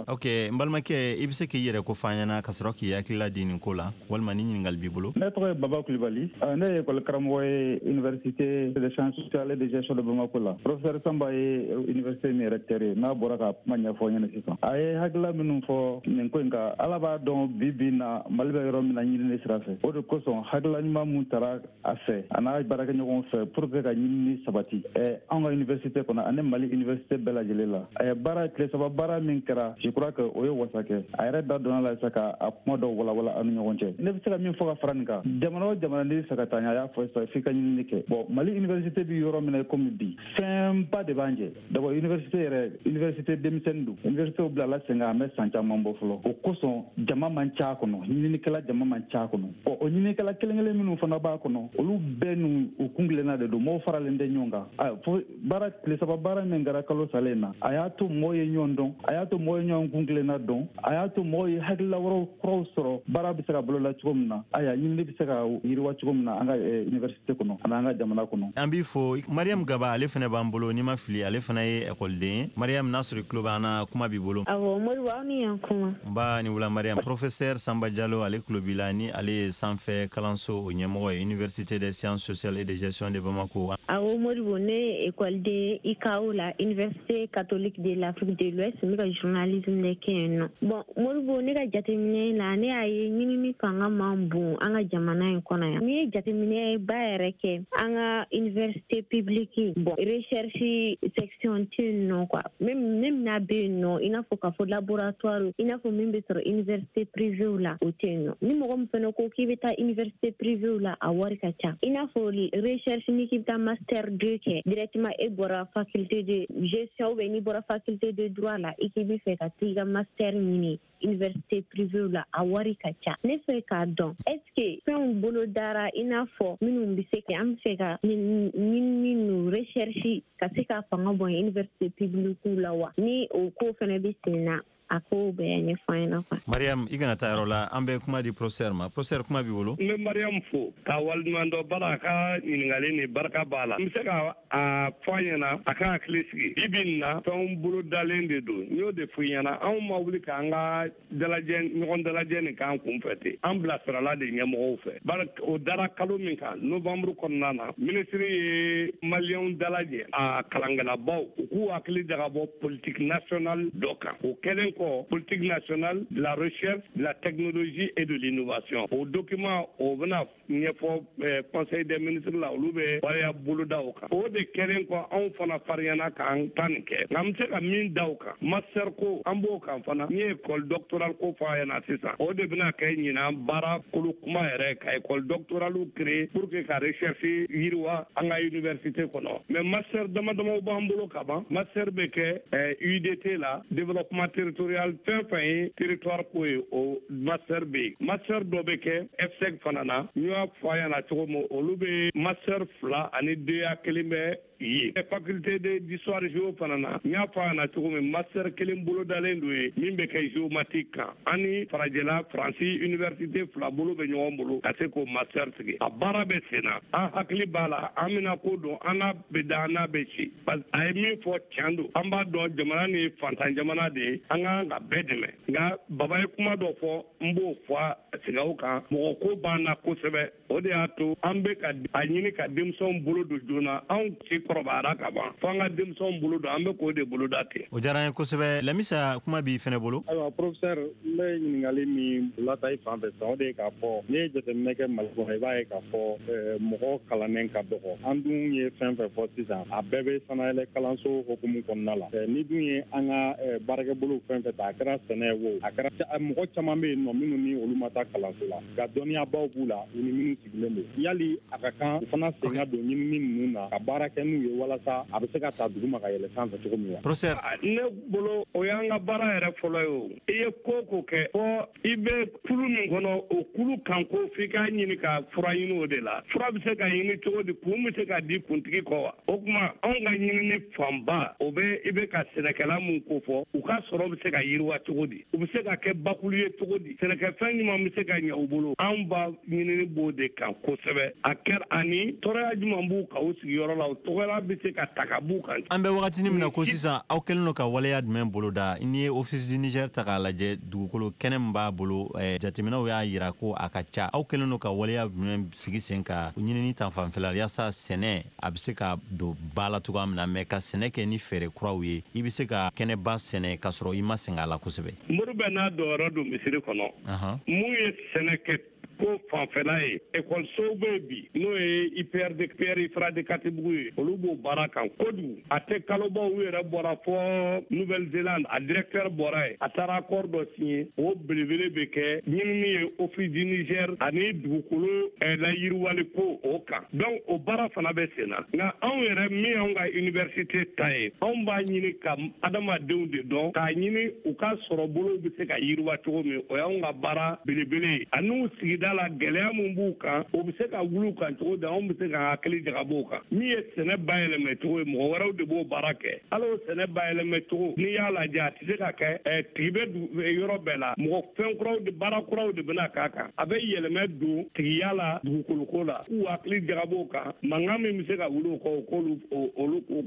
Ok, n balimakɛ, i bɛ se k'i yɛrɛ ko fɔ an ɲɛna ka sɔrɔ k'i hakilila di nin ko la, walima ni ɲininkali b'i bolo? Ne tɔgɔ ye Baba Kulibali, ne ye école karamɔgɔ ye Université de sciences sociales et de gestion de Bamako la. Professeur Samba ye université min recteur ye, n'a bɔra ka kuma ɲɛfɔ ɲɛna sisan, a ye hakilila minnu fɔ nin ko in kan, Ala b'a dɔn bi bi na Mali bɛ yɔrɔ min na ɲinini sira fɛ. O de kosɔn hakilila ɲuman mun tara a fɛ, a n'a baarakɛɲɔgɔnw fɛ, pour que ka ɲinini sabati an ka université kɔnɔ ani Mali université bɛɛ lajɛlen la, a ye baara tile 3 baara min kɛra, je crois que o ye wasa kɛ. A yɛrɛ da donna la sisan ka a kuma dɔw walawala an ni ɲɔgɔn cɛ. Ne bɛ se ka min fɔ ka fara nin kan, jamana o jamana n'i bɛ fɛ ka taa ɲɛ, a y'a fɔ sisan, f'i ka ɲinini kɛ. Bon, Mali université bɛ yɔrɔ min na komi bi, fɛnba de b'an jɛ. D'abord, université yɛrɛ, université denmisɛnnin don. Université bilala sen kan, a bɛ san caman bɔ fɔlɔ. O kosɔn jama man ca kɔnɔ, ɲininikɛla jama man ca kɔnɔ. Ɔ, o ɲininikɛla kelen kelen minnu fana b'a kɔnɔ, olu bɛɛ n'u u kun kelenna de don, mɔgɔw faralen tɛ ɲɔgɔn kan. Fo baara tile 3 baara min kɛra kalo salen na, a y'a to mɔgɔw ye ɲɔgɔn dɔn, a y'a to mɔgɔw ye ɲɔgɔn kuntilenna dɔn, a y'a to mɔgɔw ye hakilila wɛrɛw kuraw sɔrɔ baara bɛ se ka bolola cogo min na, ayiwa, ɲinini bɛ se ka yiriwa cogo min na an ka université kɔnɔ ani an ka jamana kɔnɔ. An b'i fo. Mariam Gaba, ale fana b'an bolo, n'i ma fili, ale fana ye ekɔliden ye. Mariam, n'a sɔrɔ i tulo b'an na, kuma b'i bolo. Awɔ, Modibo, aw ni yan kuma. Nba ni wula, Mariam. Professeur Samba Diallo, ale tulo b'i la, ni ale ye sanfɛ kalanso o ɲɛmɔgɔ ye, Université des sciences sociales et de gestion de Bamako. Awɔ, Modibo, ne ye ekɔliden UCAO la, Université catholique de l'Afrique de l'Ouest. N bɛ ka journalisme de kɛ yen nɔ. Bon, Modibo, ne ka jateminɛ la, ne y'a ye ɲinini fanga man bon an ka jamana in kɔnɔ yan. N'i ye jateminɛ ba yɛrɛ kɛ an ka université publique, bon, recherche section tɛ yen nɔ quoi. Même n'a bɛ yen nɔ, i n'a fɔ k'a fɔ laboratoire, i n'a fɔ min bɛ sɔrɔ université privée la, o tɛ yen nɔ. Ni mɔgɔ min fana ko k'i bɛ taa université privée la, a wari ka ca. I n'a fɔ recherche, ni k'i bɛ taa master 2 kɛ directement, e bɔra faculté de gestion ou bien n'i bɔra faculté de droit la, i k'i bɛ fɛ ka t'i ka master ɲini université privée la, a wari ka ca. Ne fɛ k'a dɔn, est ce que fɛnw bolo dara, i n'a fɔ minnu bɛ se ka an bɛ fɛ ka ɲinini nu recherche ka se ka fanga bɔ université publique la wa? Ni o ko fana bɛ sen na, a ko bɛɛ ɲɛfɔ an ɲɛna quoi. Mariam, i kana taa yɔrɔ la, an bɛ kuma di professeur ma. Professeur, kuma b'i bolo. N bɛ Mariam fo ka waleɲuman dɔn bara a ka ɲininkali ni barika b'a la. N bɛ se ka a fɔ a ɲɛna a ka hakili sigi, bi bi in na, fɛnw bolo dalen de don. N y'o de fɔ i ɲɛna, anw ma wuli k'an ka dalajɛ, ɲɔgɔn dalajɛ nin k'an kun fɛ ten, an bilasirala de ɲɛmɔgɔw fɛ. Bari o dara kalo min kan, novembre kɔnɔna na, minisiri ye maliyɛnw dalajɛ, a kalankɛlabaw, u k'u hakili jagabɔ politique nationale dɔ kan. O kɛlen kɔ, politique nationale de la recherche, de la technologie et de l'innovation, o document o bɛna ɲɛfɔ conseil des ministres la, olu bɛ waleya boloda o kan. O de kɛlen kɔ, anw fana fariyana k'an ta nin kɛ. Nka n bɛ se ka min da o kan, master ko, an b'o kan fana. N ye école doctorale ko fɔ a ɲɛna sisan, o de bɛna kɛ ɲinan baara kolo kuma yɛrɛ, ka école doctorale créer pour que ka recherche yiriwa an ka université kɔnɔ. Mais master dama damaw b'an bolo ka ban. Master bɛ kɛ UDT la, développement territorial, fɛn fɛn ye territoire ko ye, o master bɛ yen. Master dɔ bɛ kɛ FSEG fana na, n y'a fɔ a ɲɛna cogo min, olu bɛ master fila ani DEA kelen bɛ ye. Faculté d'histoire géo fana na, n y'a fɔ a ɲɛna cogo min, master kelen bolodalen don ye min bɛ kɛ géomatique kan. An ni farajɛla Faransi université fila bolo bɛ ɲɔgɔn bolo ka se k'o master sigi. A baara bɛ sen na, an hakili b'a la, an bɛna ko dɔn, an n'a bɛ da, an n'a bɛ ci. Parce a ye min fɔ, tiɲɛ don. An b'a dɔn jamana ni fantan jamana de ye, an ka kan ka bɛɛ dɛmɛ. Nka Baba ye kuma dɔ fɔ, n b'o fɔ a sigaw kan, mɔgɔ ko b'an na kosɛbɛ. O de y'a to an bɛ ka a ɲini ka denmisɛnw bolo don joona. Anw si kɔrɔbayara ka ban, fo an ka denmisɛnw bolo don, an bɛ k'o de boloda ten. O diyara an ye kosɛbɛ. Lamisa, kuma b'i fɛnɛ bolo. Ayiwa, professeur, n bɛ ɲininkali min lata i fan fɛ sisan, o de ye k'a fɔ n'i ye jateminɛ kɛ Mali kɔnɔ, i b'a ye k'a fɔ mɔgɔ kalannen ka dɔgɔ. An dun ye fɛn fɛn fɔ sisan, a bɛɛ bɛ sanayɛlɛ kalanso hukumu kɔnɔna la. Ni dun ye an ka baarakɛbolow fɛn fɛn ta, a kɛra sɛnɛ ye o, a kɛra mɔgɔ caman bɛ yen nɔ minnu ni olu ma taa kalanso la, nka dɔnniyabaw b'u la, u ni minnu sigilen don. Yali a ka kan u fana sen ka don ɲinini ninnu na ka baara kɛ n'u ye, walasa a bɛ se ka ta duguma ka yɛlɛ sanfɛ cogo min wa? Professeur. Ne bolo, o y'an ka baara yɛrɛ fɔlɔ ye. O i ye ko ko kɛ, fɔ i bɛ kulu min kɔnɔ, o kulu kan ko f'i k'a ɲini ka fura ɲini. O de la, fura bɛ se ka ɲini cogo di? Kun bɛ se ka di kuntigi kɔ wa? O tuma, anw ka ɲinini fanba, o bɛ i bɛ ka sɛnɛkɛla mun ko fɔ, u ka sɔrɔ bɛ se ka yiriwa cogo di, u bɛ se ka kɛ bakulu ye cogo di, sɛnɛkɛfɛn ɲuman bɛ se ka ɲɛ u bolo. Anw ba ɲinini b'o de kan kosɛbɛ. A kɛra ani tɔɔrɔya jumɛn b'u kan u sigiyɔrɔ la, o tɔgɔya bɛ se ka ta ka b'u kan. An bɛ wagatinin min na ko sisan, aw kɛlen don ka waleya jumɛn boloda? N'i ye Office du Niger ta k'a lajɛ, dugukolo kɛnɛ min b'a bolo, jateminɛw y'a yira ko a ka ca. Aw kɛlen don ka waleya jumɛn sigi sen ka ɲinini ta fanfɛla, yaasa sɛnɛ a bɛ se ka don ba la cogoya min na, mɛ ka sɛnɛ kɛ ni fɛɛrɛ kuraw ye, i bɛ se ka kɛnɛba sɛnɛ ka sɔrɔ i ma sɛgɛn a la kosɛbɛ? Mori bɛ n'a dɔyɔrɔ don misiri kɔnɔ. Mun ye sɛnɛ kɛ ko fanfɛla ye, ekɔlisow bɛ yen bi, n'o ye IPRD, Pierre Ifra de Katibugu ye, olu b'o baara kan kojugu. A tɛ kalobaw, u yɛrɛ bɔra fɔ Nouvelle-Zélande, a directeur bɔra yen, a taara accord dɔ signé. O belebele bɛ kɛ ɲinini ye Office du Niger ani dugukolo layiriwali ko o kan. Donc o baara fana bɛ sen na. Nka anw yɛrɛ min y'anw ka université ta ye, anw b'a ɲini ka adamadenw de dɔn, k'a ɲini u ka sɔrɔ bolow bɛ se ka yiriwa cogo min. O y'anw ka baara belebele ye, ani sigida tigiya la, gɛlɛya min b'u kan, o bɛ se ka wuli u kan cogo di, anw bɛ se ka hakili jagabɔ o kan. Min ye sɛnɛ bayɛlɛmɛ cogo ye, mɔgɔ wɛrɛw de b'o baara kɛ. Hali o sɛnɛ bayɛlɛmɛ cogo, n'i y'a lajɛ, a tɛ se ka kɛ tigi bɛ yɔrɔ bɛɛ la. Mɔgɔ fɛn kuraw de, baara kuraw de bɛna k'a kan. A bɛ yɛlɛmɛ don tigiya la, dugukoloko la, k'u hakili jagabɔ o kan. Mankan min bɛ se ka wuli o kɔ,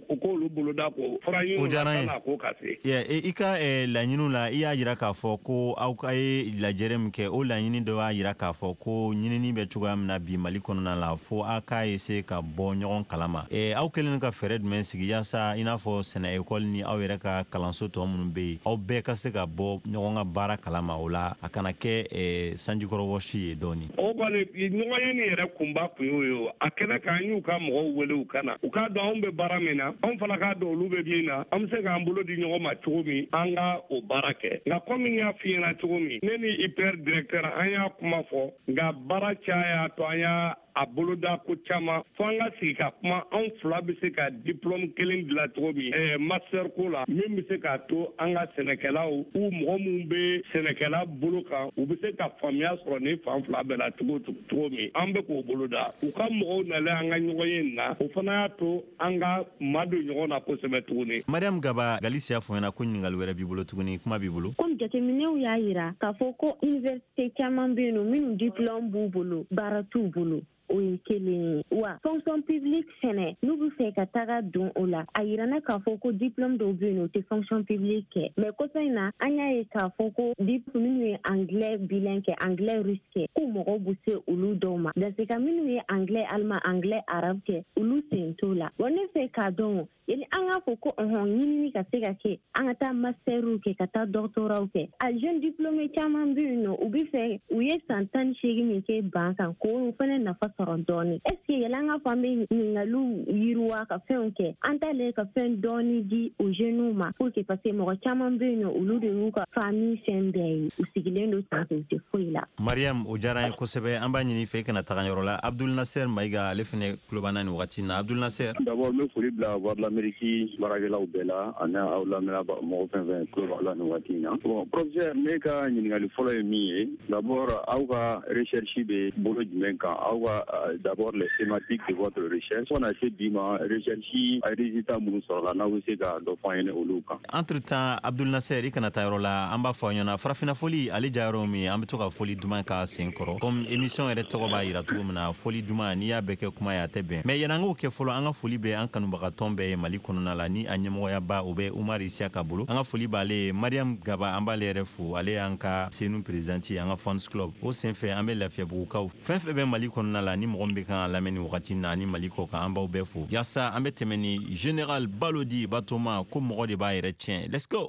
o k'olu boloda k'o fura ɲini O diyara n ye. n'a ko ka se. I ka laɲiniw la, i y'a jira k'a fɔ ko aw ka ye lajɛrɛ min kɛ, o laɲini dɔ y'a jira k'a fɔ ko ɲinini bɛ cogoya min na bi Mali kɔnɔna la, fo aw k'a essayer ka bɔ ɲɔgɔn kalama. Aw kɛlen ka fɛɛrɛ jumɛn sigi yaasa i n'a fɔ sɛnɛ ekɔli ni aw yɛrɛ ka kalanso tɔ minnu bɛ yen, aw bɛɛ ka se ka bɔ ɲɔgɔn ka baara kalama, o la a kana kɛ sanjikɔrɔ wɔsi ye dɔɔni? O kɔni, ɲɔgɔn ye nin yɛrɛ kunba kun y'o ye. O a kɛnɛ kan, an y'u ka mɔgɔw wele u ka na, u k'a dɔn anw bɛ baara min na, anw fana k'a dɔn olu bɛ min na, an bɛ se k'an bolo di ɲɔgɔn ma cogo min an ka o baara kɛ. Nka komi n y'a f'i ɲɛna cogo min, ne ni IPR directeur, an y'a kuma fɔ, nka baara caya y'a to an y'a a boloda ko caman, fo an ka sigi ka kuma, anw fila bɛ se ka diplôme kelen dilan cogo min master ko la, min bɛ se k'a to an ka sɛnɛkɛlaw u mɔgɔ minnu bɛ sɛnɛkɛla bolo kan, u bɛ se ka faamuya sɔrɔ nin fan fila bɛɛ la cogo min. An bɛ k'o boloda. U ka mɔgɔw nalen an ka ɲɔgɔn ye nin na, o fana y'a to an ka madon ɲɔgɔn na kosɛbɛ tuguni. Mariam Gaba Galisi y'a fɔ ɲɛna ko ɲininkali wɛrɛ b'i bolo tuguni, kuma b'i bolo. Komi jateminɛw y'a yira k'a fɔ ko université caman bɛ yen nɔ, minnu diplôme b'u bolo, baara t'u bolo, o ye kelen ye. Wa fonction publique fɛnɛ, n'u bɛ fɛ ka taga don o la, a yirana k'a fɔ ko diplôme dɔw bɛ yen nɔ, o tɛ fonction publique kɛ. Mais kɔsa in na, an y'a ye k'a fɔ ko diplôme minnu ye anglais bilingue kɛ, anglais russe kɛ, ko mɔgɔw bɛ se olu dɔw ma. Dans ce cas, minnu ye anglais allemand, anglais arabe kɛ, olu sen t'o la. Wa ne fɛ k'a dɔn, yani an k'a fɔ ko ɔhɔn, ɲinini ka se ka kɛ, an ka taa masteriw kɛ, ka taa doctoratw kɛ, a jeune diplômé caman bɛ yen nɔ, u bɛ fɛ u ye san 18 min kɛ ban kan, k'o fana nafa sɔrɔ dɔɔni. Est ce que yɛlɛ an k'a fɔ an bɛ ɲininkaliw yiriwa ka fɛnw kɛ, an t'ale ka fɛn dɔɔni di o jeunes ma, pour que, parce que mɔgɔ caman bɛ yen nɔ, olu de y'u ka famille fɛn bɛɛ ye, u sigilen don ten, u tɛ foyi la. Mariam, o diyara an ye kosɛbɛ. An b'a ɲini fɛ i kana taga yɔrɔ la. Abdul Nasser Mayiga, ale fɛnɛ tulo b'an na nin wagati in na. Abdul Nasser. D'abord, n bɛ foli bila Voix de l'Amérique baarakɛlaw bɛɛ la, ani aw lamɛnna mɔgɔ fɛn fɛn tulo b'aw la nin waati in na. Bon, professeur, ne ka ɲininkali fɔlɔ ye min ye, d'abord, aw ka recherche bɛ bolo jumɛn kan? Aw ka d'abord, les thématiques de votre recherche, fo ka na se bi ma, recherche a résultat minnu sɔrɔla, n'aw bɛ se ka dɔ fɔ an ɲɛna olu kan. Entre temps, Abdul Nasser, i kana taa yɔrɔ la. An b'a fɔ aw ɲɛna, farafinna foli ale jayɔrɔ min ye, an bɛ to ka foli duman k'a sen kɔrɔ, comme émission yɛrɛ tɔgɔ b'a yira cogo min na, foli duman. N'i y'a bɛɛ kɛ kuma ye, a tɛ bɛn. Mais yan'an k'o kɛ fɔlɔ, an ka foli bɛ an kanubagatɔn bɛɛ ye Mali kɔnɔna la, ni a ɲɛmɔgɔyaba o bɛ Umar Isiyaka bolo. An ka foli b'ale ye. Mariam Gaba, an b'ale yɛrɛ fo, ale y'an ka Senu présidente ye, an ka fans club. O senfɛ, an bɛ Lafiyabugukaw fɛn fɛn bɛ Mali kɔnɔna la, ni mɔgɔ min bɛ kan ka lamɛn nin wagati na ani Mali kɔ kan, an b'aw bɛɛ fo. Yaasa an bɛ tɛmɛ ni Général Balodi Batoma ko mɔgɔ de b'a yɛrɛ tiɲɛ. Let's go.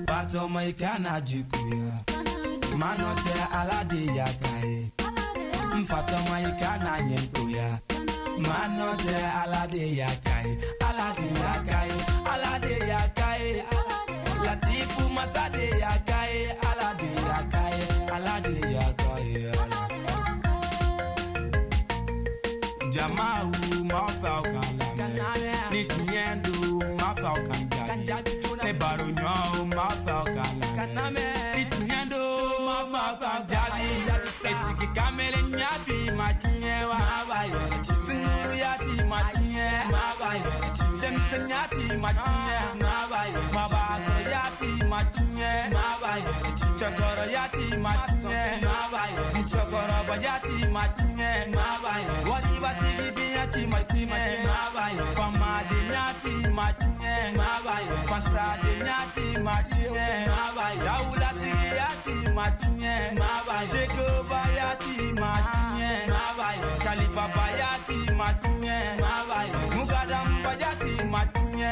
Batoma, i kana juguya, manɔ tɛ, Ala de y'a ka ye. N fatɔma, i kana ɲɛngoya, manɔ tɛ, Ala de y'a ka ye, Ala de y'a ka ye, Ala de y'a ka ye, Latifu masa de y'a ka ye, Ala de y'a ka ye, Ala de y'a ka ye, Ala. Jamaw ma fɛ aw kan lamɛn, ni tiɲɛ don, ma fɛ aw kan jaabi, ne baro ɲɔgɔnw ma fɛ aw kan lamɛn, ni tiɲɛ don, ma fɛ aw kan jaabi. Esigi kamalen ɲabi ma tiɲɛ wa, sunkuruya ti ma tiɲɛ, denmisɛnya ti ma tiɲɛ, mabakɔrɔya ti ma tiɲɛ, cɛkɔrɔya ti ma tiɲɛ, musokɔrɔbaya ti ma tiɲɛ, waribatigi diɲɛ ti ma tiɲɛ, famadenya ti ma tiɲɛ, fasadenya ti ma tiɲɛ, dawulatigiya ti ma tiɲɛ, sekobaya ti ma tiɲɛ, kalifabaya ti ma tiɲɛ, mugadambaya ti ma tiɲɛ,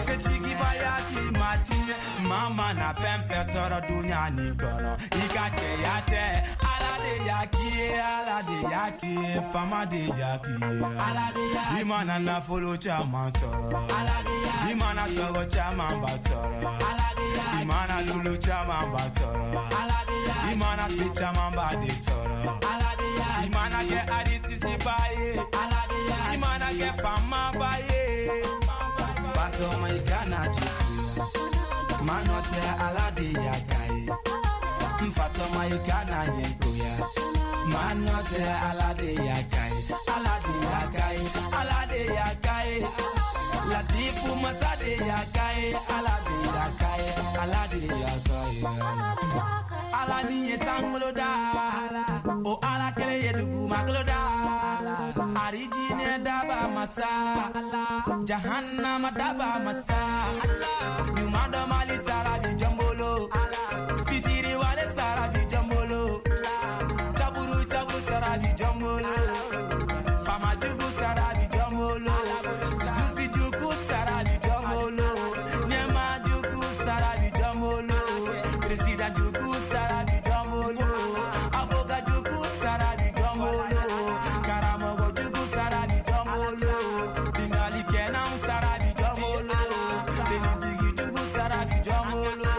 setigibaya ti ma tiɲɛ. Mama na fɛn fɛn sɔrɔ dunuya nin kɔnɔ, i ka cɛya tɛ, Ala de y'a k'i ye, Ala de y'a k'i ye, faama de y'a k'i ye, Ala de y'a. I mana nafolo caman sɔrɔ, Ala de y'a. I mana tɔgɔ caman ba sɔrɔ, Ala de y'a. I mana lulu caman ba sɔrɔ, Ala de y'a. I mana se caman ba de sɔrɔ, Ala de y'a. I mana kɛ aritisiba ye, Ala de y'a. I mana kɛ faamaba ye. Batoma, i kana juguya. de y'a ka ye n fatɔma i kana ɲɛ goya maa nɔ tɛ Ala de y'a ka ye Ala de y'a ka ye Ala de y'a ka ye Latifu masa de y'a ka ye Ala de y'a ka ye Ala de y'a ka ye Ala min ye sankolo da o Ala kelen ye dugumakolo da arijinɛ daba masa jahannama daba masa ɲuman dɔ Mali sara bi jɔn bolo fitiri wale sara bi jɔn bolo caburu caburu sara bi jɔn bolo faama jugu sara bi jɔn bolo susi jugu sara bi jɔn bolo ɲɛma jugu sara bi jɔn bolo président jugu sara bi jɔn bolo avocat jugu sara bi jɔn bolo karamɔgɔ jugu sara bi jɔn bolo bingalikɛlaw sara bi jɔn bolo tenitigi jugu sara bi jɔn bolo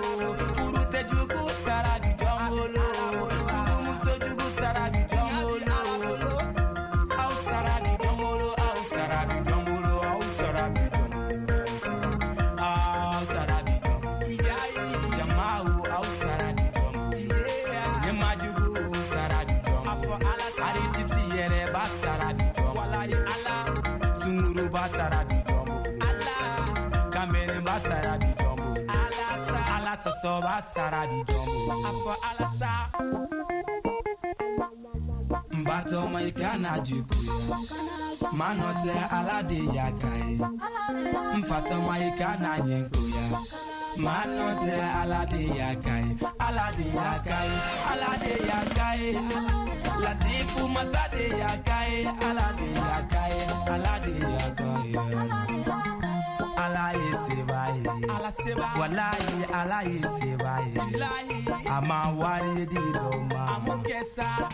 furutɛ jugu sara bi jɔn bolo furumuso jugu sara bi jɔn bolo aw sara bi jɔn bolo aw sara bi jɔn bolo aw sara bi jɔn bolo aw sara bi jɔn bolo jamaaw aw sara bi jɔn bolo ɲɛmajugu sara bi jɔn bolo aritisi yɛrɛ b'a sara bi jɔn bolo sunguruba sara bi jɔn bolo kamelenba sara bi jɔn bolo Ala sɔsɔ b'a sara bi jɔn bolo n batɔma i kana juguya maa nɔ tɛ Ala de y'a ka ye n fatɔma i kana ɲɛ goya maa nɔ tɛ Ala de y'a ka ye Ala de y'a ka ye Ala de y'a ka ye Latifu masa de y'a ka ye Ala de y'a ka ye Ala de y'a ka ye Ala ye seba ye walayi Ala ye seba ye a ma wari di dɔw ma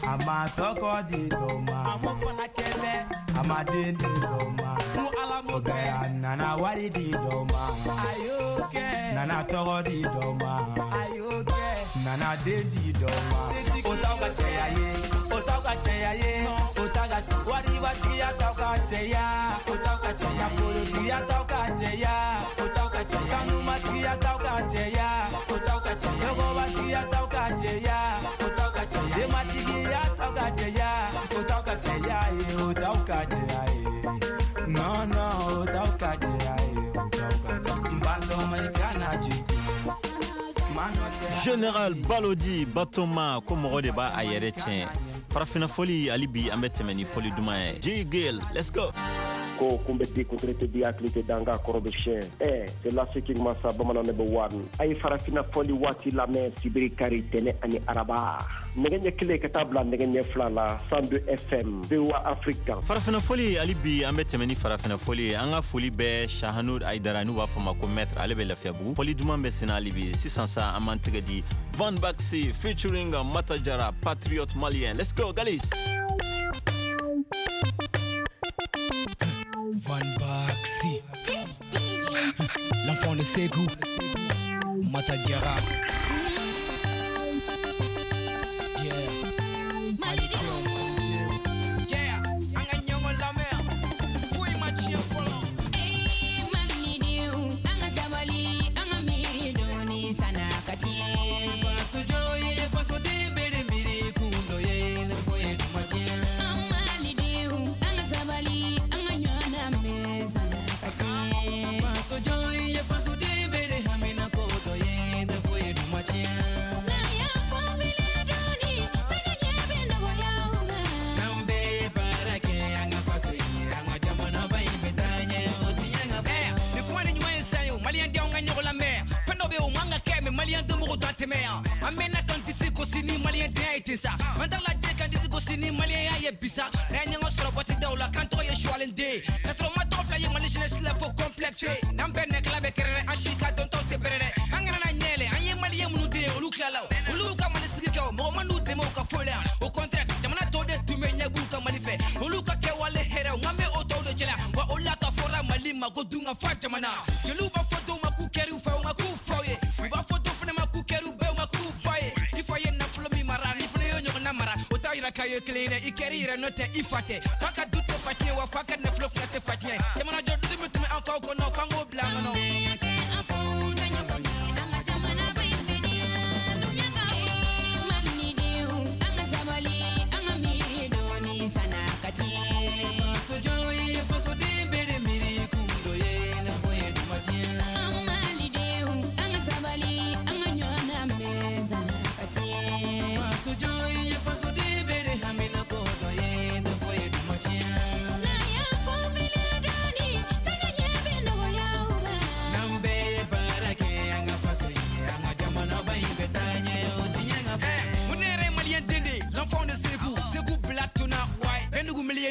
a ma tɔgɔ di dɔw ma a ma den di dɔw ma o bɛɛ a nana wari di dɔw ma nana tɔgɔ di dɔw ma nana den di dɔw ma o t'aw ka cɛya ye o t'aw ka cɛya ye o t'aw ka waribatigiya t'aw ka cɛya o t'aw ka cɛya nafolotigiya t'aw ka cɛya o t'aw ka cɛya sanumatigiya t'aw ka cɛya o t'aw ka cɛya dɔgɔbatigiya t'aw ka cɛya o t'aw ka cɛya denbatigiya t'aw ka cɛya o t'aw ka cɛya ye o t'aw ka cɛya ye non non o t'aw ka cɛya ye o t'aw ka cɛya n batɔma i kana juguya maa nɔ tɛ Général Balodi Batoma ko mɔgɔ de b'a a yɛrɛ tiɲɛ farafinna fɔli hali bi an bɛ tɛmɛ ni fɔli duman ye J Gale, let's go. Ko kun bɛ di kuntiri tɛ di hakili tɛ danga kɔrɔ bɛ siɲɛ ɛ c'est laseki masa bamanan ne bɛ wari a ye farafinna fɔli waati lamɛn sibiri kari tɛnɛ ani araba nɛgɛ ɲɛ 1 ka taa bila nɛgɛ ɲɛ 2 la 102 FM VOA Afrique kan. Farafinna fɔli hali bi an bɛ tɛmɛ ni farafinna fɔli ye an ka foli bɛ Shahanud Aidara n'u b'a fɔ ma ko maître ale bɛ Lafiyabugu fɔli duman bɛ senna hali bi sisan sa an b'an tɛgɛ di Van Baxi featuring Matajara Patriote Malien, let's go Galis. Van Baxi, l'enfant de Ségou, Matadiara. Yeah, yeah, an ka ɲɔgɔn lamɛn, foyi ma tiɲɛ fɔlɔ. Ee Malidenw, an ka sabali, an ka miiri dɔɔni san'a ka tiɲɛ. Fasojɔ ye fasoden bɛɛ de miiri kun dɔ ye, ne fɔ ye kuma tiɲɛ. An Malidenw, an ka sabali, an ka ɲɔgɔn lamɛn san'a ka tiɲɛ. Fasojɔ ye fasoden bɛɛ de hamina ko dɔ ye, ne fɔ ye kuma tiɲɛ. N'an y'an kɔfilɛ dɔɔni, bɛɛ ɲɛ bɛ nɔgɔya u ma. N'an bɛɛ ye baara kɛ an ka faso ye, an ka jamanaba in bɛ taa ɲɛ, o tiɲɛ ka fɔ. Ni kuma ni ɲuman ye san ye o, maliyɛn denw ka ɲɔgɔn lamɛn. Fɛn dɔ bɛ yen o man ka kɛ mɛ maliyɛn denmɔgɔw t'a tɛmɛ yan. An mɛnna k'an disi gosi ni maliyɛn denya ye ten sa. An t'a lajɛ k'an disi gosi ni maliyɛnya ye bi sa. N'an ye ɲɔgɔn sɔrɔ waati dɔw la k'an tɔgɔ ye Suwalen den. K'a sɔrɔ ma tɔgɔ fila ye Mali jeunesse la fo complexe. N'an bɛɛ nɛkɛla bɛ kɛrɛ dɛ, an si ka dɔntɔw tɛ bɛrɛ dɛ. An kana na ɲɛ yɛlɛ, an ye maliyɛn minnu den ye olu tilala o. Olu y'u ka Mali sigi kɛ o, mɔgɔ ma n'u dɛmɛ u ka foyi la yan. Au contraire, jamana tɔw de tun bɛ ɲɛ b'u ka Mali fɛ. Olu ka kɛwale hɛrɛw, n'an bɛ o tɔw de cɛla. Wa olu la ka fɔra Mali ma ko dun ka fa jamana. Jeliw b'a fɔ dɔw ma k'u kɛr'u fɛ, u ma k'u faw ye. U b'a fɔ dɔw fana ma k'u kɛr'u bɛɛ, u ma k'u ba ye. I fa ye nafolo min mara, ni fana y'o ɲɔgɔnna mara, o t'a yira k'a ye kelen ye dɛ. I kɛr'i yɛrɛ n'o tɛ i fa tɛ. Fa ka du tɛ fa tiɲɛ, wa fa ka nafolo fana tɛ fa tiɲɛ. Jamana jɔ dusu min tun bɛ an faw kɔnɔ, f'an k'o bila an kɔnɔ. An bɛɛ y'a kɛ an faw ta ɲɔgɔn ye, an ka jamana ba in bɛ di.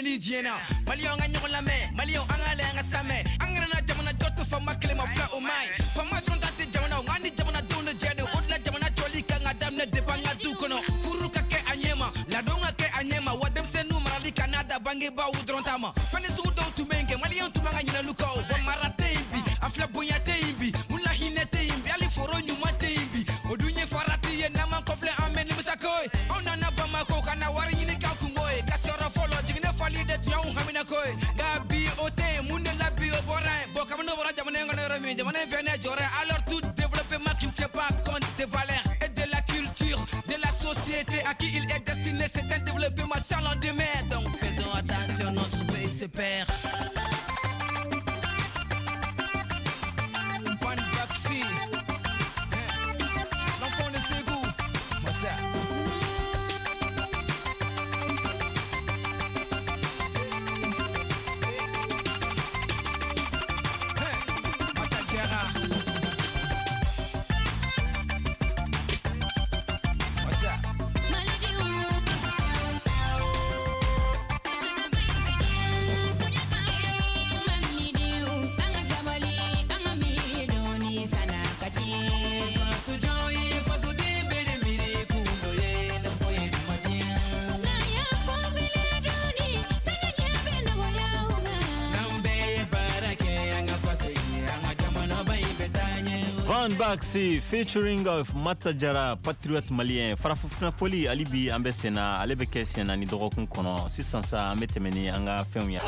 ni diɲɛ na. Maliyɛnw ka ɲɔgɔn lamɛn, maliyɛnw an ka lajɛ an ka samɛ. An kana na jamana jɔ to faama kelen ma fila o ma ɲi. Faama dɔrɔn ta tɛ jamana, nka ni jamanadenw de jɛ don. O de la jamana jɔli kan ka daminɛ depuis an ka du kɔnɔ. Furu ka kɛ a ɲɛ ma, ladon ka kɛ a ɲɛ ma, wa denmisɛnninw marali kana da bangebaaw dɔrɔn ta ma. Fɛn sugu dɔw tun bɛ yen kɛ, maliyɛnw tun man ka ɲinɛ olu kɔ. Wa mara tɛ yen bi, a filɛ bonya tɛ yen bi, mun la hinɛ tɛ yen bi, hali foro ɲuman tɛ yen bi. O dun ye farati ye, n'an m'an kɔfilɛ an bɛ nimisa ko ye. Anw nana Bamako ka na wari ɲini k'an kungo ye. Ka sɔrɔ fɔlɔ jiginɛ fali de tun y'anw haminako ye. Nka bi o tɛ yen, mun de la bi o bɔra yen? Bon kabini o bɔra jamana in kɔnɔ yɔrɔ min, jamana in fɛnɛ jɔra yen. Alors tout développement qui ne tient pas compte des valeurs et de la culture de la société à qui il est destiné, c'est un développement sans lendemain. Donc faisons attention, notre pays se perd. L'enfant de Ségou, what's up? Van Baxi featuring of Matajara, patriote malien. Farafinna foli hali bi an bɛ sen na, ale bɛ kɛ sen na ni dɔgɔkun kɔnɔ. Sisan sa an bɛ tɛmɛ ni an ka fɛnw ye.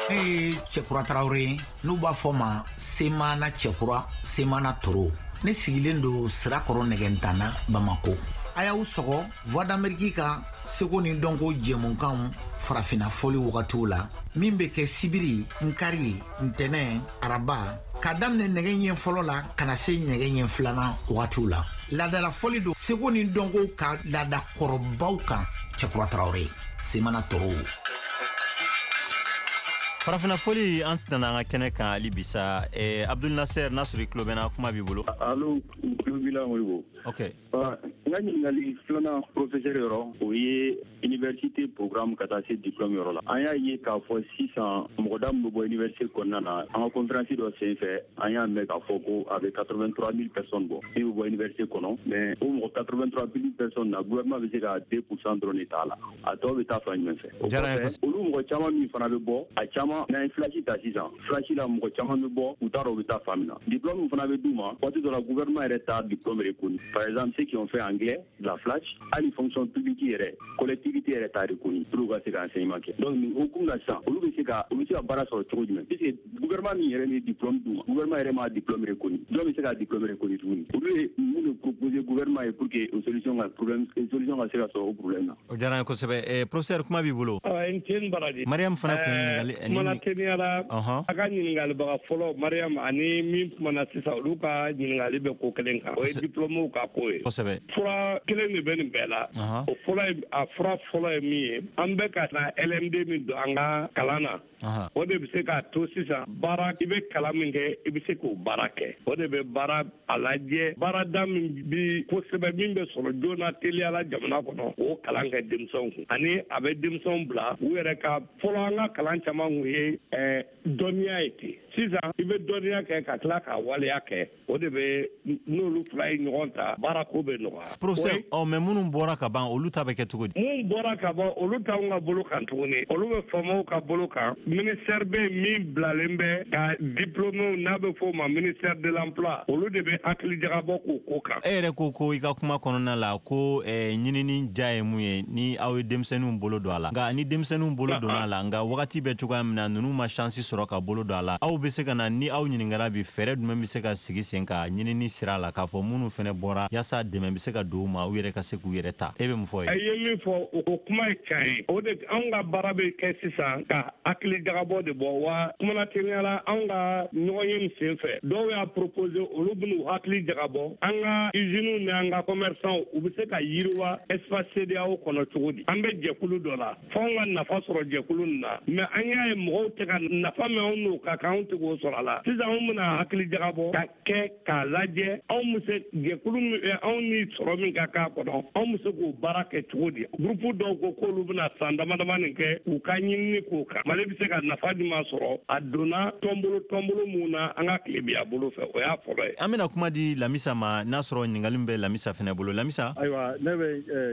Ne ye Cɛkura Tarawele ye, n'u b'a fɔ ma Semana Cɛkura, Semana Toro. Ne sigilen don Sirakɔrɔ Nɛgɛntana, Bamako. A y'aw sɔgɔ Voix d'Amérique ka seko ni dɔnko jɛmukanw farafinna fɔli wagatiw la, min bɛ kɛ sibiri, nkari, ntɛnɛn, araba, k'a daminɛ nɛgɛ ɲɛ fɔlɔ la ka na se nɛgɛ ɲɛ filanan wagatiw la. Laadala fɔli don seko ni dɔnko ka laada kɔrɔbaw kan. Cɛkura Tarawele, Semana Toro. Farafinna fɔli an nana an ka kɛnɛ kan hali bi sa. Abdul Nasser, n'a sɔrɔ i tulo bɛ n na, kuma b'i bolo. Allo, tulo b'i la Modibo. Ok. N ka ɲininkali filanan professeur yɔrɔ, o ye université programme ka taa se diplôme yɔrɔ la. An y'a ye k'a fɔ sisan mɔgɔ da min bɛ bɔ université kɔnɔna na, an ka conférence dɔ sen fɛ, an y'a mɛn k'a fɔ ko a bɛ 83 000 personnes bɔ min bɛ bɔ université kɔnɔ, mais o mɔgɔ 83 000 personnes na, gouvernement bɛ se ka 2% dɔrɔn de t'a la, a tɔ bɛ taa fan jumɛn fɛ? O kɔfɛ, olu mɔgɔ caman min fana bɛ bɔ, a caman n'an ye flash ta sisan, flash la mɔgɔ caman bɛ bɔ, u t'a dɔn u bɛ taa fan min na. Diplôme min fana bɛ d'u ma, waati dɔ la gouvernement yɛrɛ t'a diplôme reconnu. Par exemple, ceux qui ont fait anglais, la flash, hali fonction publique yɛrɛ, collectivité yɛrɛ t'a reconnu pour ka se ka enseignement kɛ. Donc nin hukumu na sisan, olu bɛ se ka baara sɔrɔ cogo jumɛn? Puisque gouvernement min yɛrɛ ni diplôme d'u ma, gouvernement yɛrɛ m'a diplôme reconnu, jɔn bɛ se ka diplôme reconnu tuguni? Olu ye mun de proposer gouvernement ye pour que o solution ka problème, solution ka se ka sɔrɔ o problème na? O diyara n ye kosɛbɛ. Professeur, kuma b'i bolo. N ce ni baraji. Mariam fana tun ye ɲininkali. Kumana teliyara. A ka ɲininkalibaga fɔlɔ Mariam ani min kumana sisan, olu ka ɲininkali bɛ ko kelen kan. O ye diplôme ka ko ye. Kosɛbɛ. Fura kelen de bɛ nin bɛɛ la. O fɔlɔ ye, a fura fɔlɔ ye min ye, an bɛ ka na LMD min don an ka kalan na. O de bɛ se k'a to sisan baara, i bɛ kalan min kɛ, i bɛ se k'o baara kɛ. O de bɛ baara a lajɛ, baarada min bi kosɛbɛ, min bɛ sɔrɔ joona teliya la jamana kɔnɔ, o kalan kɛ denmisɛnw kun. Ani a bɛ denmisɛnw bila u yɛrɛ ka fɔlɔ an ka kalan caman kun ye dɔnniya ye ten. Sisan i bɛ dɔnniya kɛ ka tila k'a waleya kɛ, o de bɛ n'olu fila ye ɲɔgɔn ta, baarako bɛ nɔgɔya. Professeur, mais minnu bɔra ka ban, olu ta bɛ kɛ cogo di? Minnu bɔra ka ban, olu t'anw ka bolo kan tuguni, olu bɛ faamaw ka bolo kan. Ministère bɛ min bilalen bɛ ka diplôme, n'a bɛ f'o ma ministère de l'emploi, olu de bɛ hakili jagabɔ k'o ko kan. E yɛrɛ ko i ka kuma kɔnɔna la ko ɲinini ja ye mun ye ni aw ye denmisɛnninw bolo don a la, nka ni denmisɛnninw bolo donna a la, nka wagati bɛ cogoya min na ninnu ma chance sɔrɔ ka bolo don a la, aw bɛ se ka na ni aw ɲininkara bi, fɛɛrɛ jumɛn bɛ se ka sigi sen kan ɲinini sira la k'a fɔ minnu fɛnɛ bɔra yaasa dɛmɛ bɛ se ka don u ma, u yɛrɛ ka se k'u yɛrɛ ta? E bɛ mun fɔ ye? A ye min fɔ, o kuma ye tiɲɛ ye. O de anw ka baara bɛ kɛ sisan ka hakili jagabɔ de bɔ. Wa kumana teliya la, anw ka ɲɔgɔn ye nin sen fɛ, dɔw y'a proposer, olu bɛn'u hakili jagabɔ an ka usines ni an ka commerçants, u bɛ se ka yiriwa espace CEDEAO kɔnɔ cogo di. An bɛ jɛkulu dɔ la, f'anw ka nafa sɔrɔ jɛkulu nin na, mais an y'a ye mɔgɔw tɛ ka nafa min anw n'o ka kan, anw tɛ k'o sɔrɔ a la. Sisan anw bɛna hakili jagabɔ ka kɛ k'a lajɛ, anw bɛ se jɛkulu min, anw ni sɔrɔ min ka k'a kɔnɔ, anw bɛ se k'o baara kɛ cogo di. Groupe dɔw ko k'olu bɛna san dama dama nin kɛ k'u ka ɲinini k'o kan. Mali bɛ se ka nafa jumɛn sɔrɔ a donna tɔnbolo mun na an ka tilebiya bolo fɛ, o y'a fɔlɔ ye. An bɛna kuma di Lamisa ma, n'a sɔrɔ ɲininkali min bɛ Lamisa fɛnɛ bolo. Lamisa? Ayiwa, ne bɛ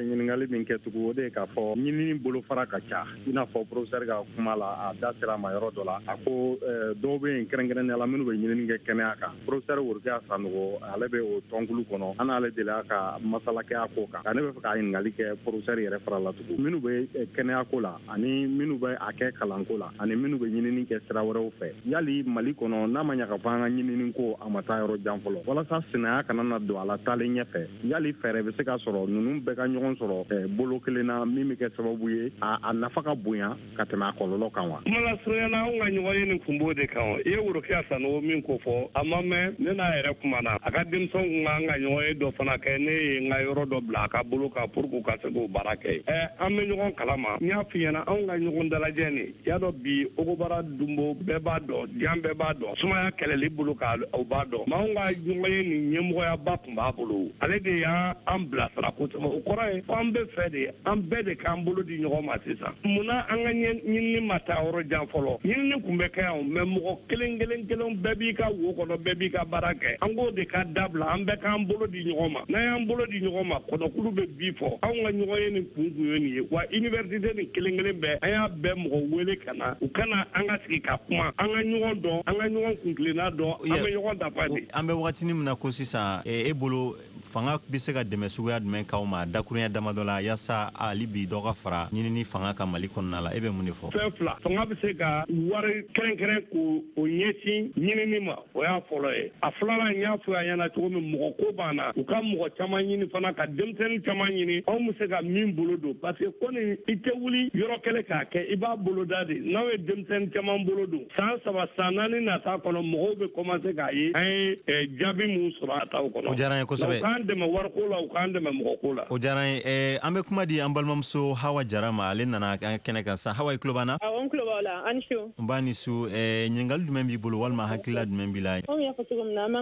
ɲininkali min kɛ tugun, o de ye k'a fɔ ɲinini bolofara ka ca. I n'a fɔ professeur ka kuma la, a da sera a ma yɔrɔ dɔ la, a ko dɔw bɛ yen kɛrɛnkɛrɛnnenya la minnu bɛ ɲinini kɛ kɛnɛya kan. Professeur Worokiya Sanogo, ale bɛ o tɔnkulu kɔnɔ, an n'ale delila ka masala kɛ a ko kan. Nka ne bɛ fɛ ka ɲininkali kɛ professeur yɛrɛ fara la tugun, minnu bɛ kɛnɛya ko la ani minnu bɛ a kɛ kalanko la ani minnu bɛ ɲinini kɛ sira wɛrɛw fɛ, yali Mali kɔnɔ n'a ma ɲa k'a fɔ an ka ɲinini ko a ma taa yɔrɔ jan fɔlɔ, walasa sinaya kana na don a la taalen ɲɛfɛ, yali fɛɛrɛ bɛ se ka sɔrɔ ninnu bɛɛ ka ɲɔgɔn sɔrɔ bolo kelen na min bɛ kɛ sababu ye a nafa ka bonya ka tɛmɛ a kɔlɔlɔ kan wa? Kuma lasurunya na, anw ka ɲɔgɔn ye nin kun b'o de kan. I ye Worokiya Sanogo min ko fɔ, a ma mɛn ne n'a yɛrɛ kumana. A ka denmisɛnw kun kan ka ɲɔgɔn ye dɔ fana kɛ, ne ye n ka yɔrɔ dɔ bila a ka bolo kan pour que u ka se k'o baara kɛ. An bɛ ɲɔgɔn kalama, n y'a f'i ɲɛna, anw ka ɲɔgɔn dalajɛ nin, y'a dɔn bi Ogobara Dunbo bɛɛ b'a dɔn, diɲɛ bɛɛ b'a dɔn, sumaya kɛlɛli bolo kan o b'a dɔn. Mais anw ka ɲɔgɔn ye nin ɲɛmɔgɔyaba tun b'a bolo, ale de y'an bilasira kosɛbɛ. O kɔrɔ ye ko an bɛ fɛ de, an bɛɛ de k'an bolo di ɲɔgɔn ma sisan. Munna an ka ɲinini ma taa yɔrɔ jan fɔlɔ? Ɲinini tun bɛ kɛ yan, mais mɔgɔ kelen kelen kelen bɛɛ b'i ka wo kɔnɔ, bɛɛ b'i ka baara kɛ. An k'o de ka dabila, an bɛɛ k'an bolo di ɲɔgɔn ma. N'an y'an bolo di ɲɔgɔn ma, kɔnɔkulu bɛ bi fɔ. Anw ka ɲɔgɔn ye nin kun kun ye nin ye. Wa université nin kelen kelen bɛɛ, an y'a bɛɛ mɔgɔ wele ka na, u kana an ka sigi ka kuma, an ka ɲɔgɔn dɔn, an ka ɲɔgɔn kuntilenna dɔn, an bɛ ɲɔgɔn dafa de. An bɛ wagatinin min na ko sisan, e bolo fanga bɛ se ka dɛmɛ suguya jumɛn k'aw ma dakurunya damadɔ la yaasa hali bi dɔ ka fara ɲinini fanga kan Mali kɔnɔna la, e bɛ mun de fɔ? Fɛn fila, fanga bɛ se ka wari kɛrɛnkɛrɛn k'o ɲɛsin ɲinini ma, o y'a fɔlɔ ye. A filanan, n y'a fɔ a ɲɛna cogo min, mɔgɔ ko b'an na, u ka mɔgɔ caman ɲini fana, ka denmisɛnnin caman ɲini, anw bɛ se ka min bolo don, parce que ko nin i tɛ wuli yɔrɔ kɛlɛ k'a kɛ, i b'a boloda de. N'aw ye denmisɛnnin caman bolo don, san 3 san 4 nata kɔnɔ, mɔgɔw bɛ commencer k'a ye an ye jaabi mun sɔrɔ a taw kɔnɔ. O diyara n ye kosɛbɛ. U k'an dɛmɛ wariko la, u k'an dɛmɛ mɔgɔko la. O diyara n ye. An bɛ kuma di an balimamuso Hawa Jara ma, ale nana an kɛnɛ kan sisan. Hawa, i tulo b'an na? Awɔ, n tulo b'aw la. A ni su. N b'a ni su. Ɲininkali jumɛn b'i bolo walima hakilila jumɛn b'i la? Komi y'a fɔ cogo min na, an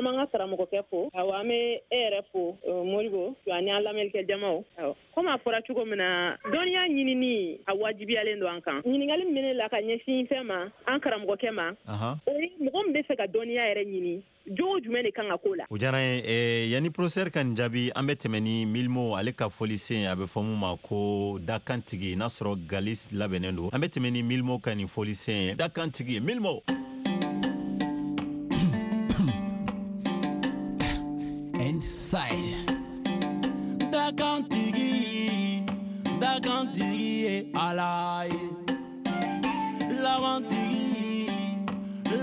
b'an ka karamɔgɔkɛ fo. Awɔ, an bɛ e yɛrɛ fo, Modibo, ani an lamɛnnikɛ jamaw. Awɔ, komi a fɔra cogo min na, dɔnniya ɲinini a wajibiyalen don an kan. Ɲininkali min bɛ ne la ka ɲɛsin fɛn ma, an karamɔgɔkɛ ma, o ye mɔgɔ min bɛ fɛ ka dɔnniya yɛrɛ ɲini, jogo jumɛn de kan ka k'o la? O diyara n ye. Yanni professeur ka nin jaabi, an bɛ tɛmɛ ni Milimo ale ka fɔlisen, a bɛ fɔ mun ma ko dakantigi, n'a sɔrɔ Galis labɛnnen don. An bɛ tɛmɛ ni Milimo ka nin fɔlisen ye, dakantigi Milimo. Inside dakantigi, dakantigi ye Ala ye, labantigi,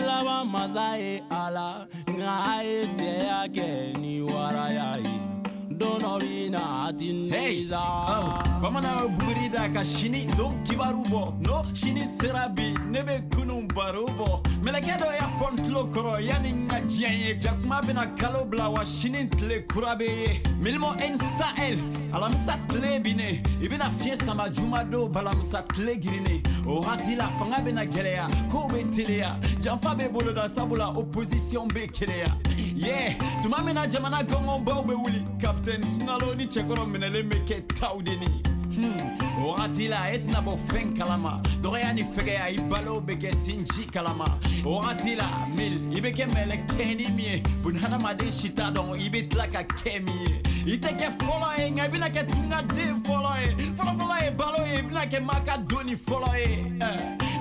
laban masa ye Ala. Nka a ye cɛya kɛ ni waraya ye, don dɔ bɛ na a ti nimisa. Bamanan ye buguri da ka sini don kibaru bɔ, n'o sini sera bi, ne bɛ kunun baro bɔ. Mɛlɛkɛ dɔ y'a fɔ n tulo kɔrɔ yanni n ka diɲɛ ye, jakuma bɛna kalo bila wa sini tile kura bɛ ye. Milimo N Sahel, alamisa tile binnen, i bɛna fiɲɛ sama juma don balamisa tile girinnen. O wagati la fanga bɛna gɛlɛya, kow bɛ teliya, janfa bɛ boloda sabula opposition bɛ keleya. Yeah, tuma min na jamana gɔngɔnbaw bɛ wuli, capitaine Sunkalo ni cɛkɔrɔ minɛlen bɛ kɛ taw de ni. O wagati la e tɛna bɔ fɛn kalama, dɔgɔya ni fɛgɛya i balo bɛ kɛ sinji kalama. O wagati la mil i bɛ kɛ mɛlɛkɛni min ye, bunahadamaden si t'a dɔn i bɛ tila ka kɛ min ye. I tɛ kɛ fɔlɔ ye, nka i bɛna kɛ tungaden fɔlɔ ye. Fɔlɔfɔlɔ ye balo ye, i bɛna kɛ maa ka doni fɔlɔ ye.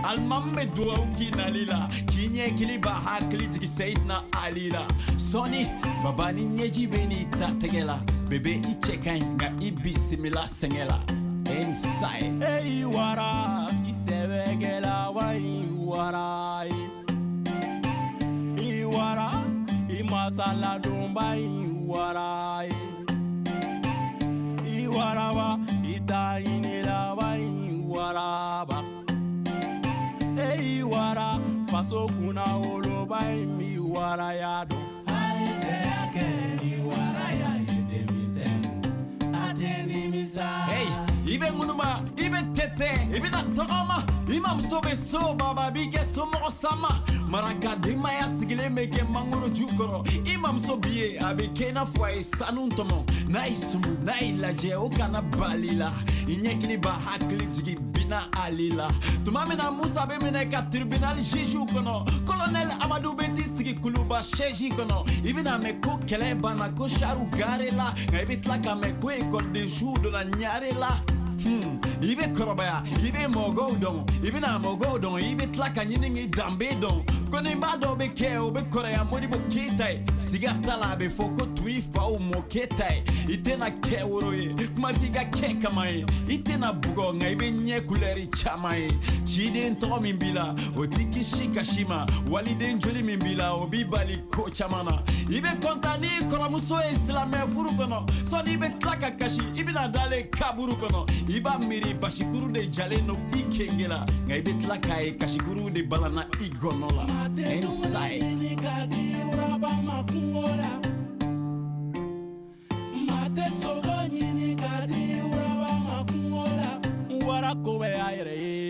Alimami bɛ dugawu k'i nali la, k'i ɲɛ kili b'a hakili jigin Seyidina Ali la. Sɔɔni baba ni ɲɛji bɛ n'i ta tɛgɛ la, bebe i cɛ ka ɲi nka i bisimila sɛgɛn la. Inside. Hey wara, i sɛbɛkɛla wa i wara ye. I wara, i masaladonba i wara ye. I waraba, i taɲinila wa i waraba. Hey wara, faso kunna woloba i mi waraya dɔn. A ye cɛya kɛ ni waraya ye denmisɛnnin, a tɛ nimisa. Hey, i bɛ ŋunuma, i bɛ tɛtɛ i bɛna tɔgɔma i mamuso bɛ so baba b'i kɛ somɔgɔ sama maraka denbaya sigilen bɛ kɛ mangoro ju kɔrɔ i mamuso b'i ye a bɛ kɛ i n'a fɔ a ye sanu tɔmɔ n'a y'i sumu n'a y'i lajɛ o kana bali la i ɲɛkili b'a hakili jigin bina ali la tuma min na Musa bɛ minɛ ka tribunal juge kɔnɔ colonel Amadu bɛ t'i sigi kuluba chaise kɔnɔ i bɛna mɛn ko kɛlɛ banna ko saru gare la nka i bɛ tila ka mɛn ko école de jour donna ɲare la. I bɛ kɔrɔbaya i bɛ mɔgɔw dɔn i bɛna mɔgɔw dɔn i bɛ tila ka ɲini k'i danbe dɔn kɔniba dɔw bɛ kɛ o bɛ kɔrɔya Modibo Keyita ye siga t'a la a bɛ fɔ ko tu i faw mɔkɛ ta ye i tɛna kɛ woro ye kuma t'i ka kɛ kama ye i tɛna bugɔ nka i bɛ ɲɛ kulɛri caman ye ciden tɔgɔ min b'i la o t'i kisi kasi ma waliden joli min b'i la o b'i bali ko caman na i bɛ kɔntan n'i kɔrɔmuso ye silamɛ furu kɔnɔ sɔnni i bɛ tila ka kasi i bɛna dalen kaburu kɔnɔ i b'a miiri basikuru de jalen don i kenge la nka i bɛ tila k'a ye kasikuru de balanna i gɔnɔ la. Warako bɛ a yɛrɛ ye.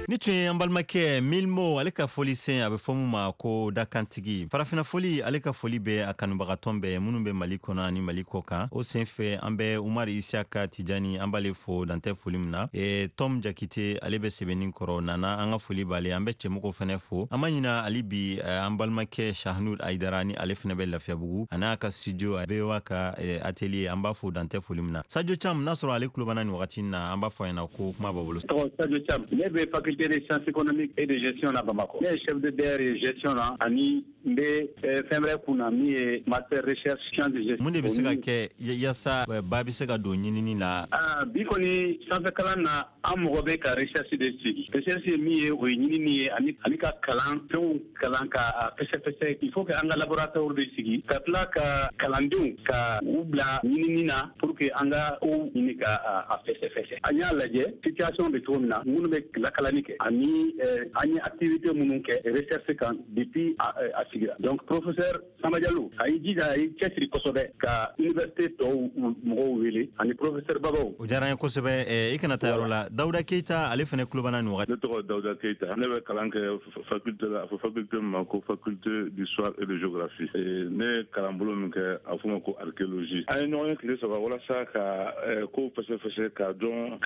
Ni tun ye an balimakɛ Milmo ale ka foli sen a bɛ fɔ mun ma ko dakantigi farafina foli ale ka foli bɛ a kanubagatɔn bɛɛ minnu bɛ Mali kɔnɔ ani Mali kɔ kan o sen fɛ an bɛ Umar Isiaka Tijani an b'ale fo dantɛ foli min na Tom Jakite ale bɛ sɛbɛnni kɔrɔ nana an ka foli b'ale an bɛ cɛmɔgɔ fɛnɛ fo an ma ɲina ale bi an balimakɛ Shahnud Aidara ni ale fɛnɛ bɛ Lafiyabugu a n'a ka studio VOA ka atelier an b'a fo dantɛ foli min na Sadio Cham n'a sɔrɔ ale tulobana nin wagati na an b'a fɔ a ɲɛna ko kuma b'a bolo. Tɔgɔ Sadio Cham ne bɛ faculté des sciences économiques et de gestion na Bamako. Ne ye chef de DR ye gestion na ani n bɛ fɛn wɛrɛ kun na min ye master recherche sciences de gestion. Mun de bɛ se ka kɛ yaasa ba bɛ se ka don ɲinini na? Bi kɔni sanfɛ kalan na an mɔgɔ bɛ ka recherche de sigi. Recherche ye min ye o ye ɲinini ye ani ka kalan fɛnw kalan ka fɛsɛfɛsɛ. Il faut que an ka laboratoire de sigi ka tila ka kalandenw ka u bila ɲinini na pour que an ka kow ɲini ka a fɛsɛfɛsɛ. An y'a lajɛ situation bɛ cogo min na minnu bɛ lakalani kɛ ani an ye activité minnu kɛ recherche kan depuis a sigira. Donc professeur Samba Diallo a y'i jija a y'i cɛsiri kosɛbɛ ka université tɔw mɔgɔw wele ani professeur Babaw. O diyara n ye kosɛbɛ i kana taa yɔrɔ la Dawuda Keyita ale fana tulobana nin wagati. Ne tɔgɔ Dawuda Keyita ne bɛ kalan kɛ faculté la a fɔ faculté min ma ko faculté d'histoire et de géographie. Ne ye kalanbolo min kɛ a fɔ ma ko archéologie. An ye ɲɔgɔn ye tile saba walasa ka kow fɛsɛfɛsɛ k'a dɔn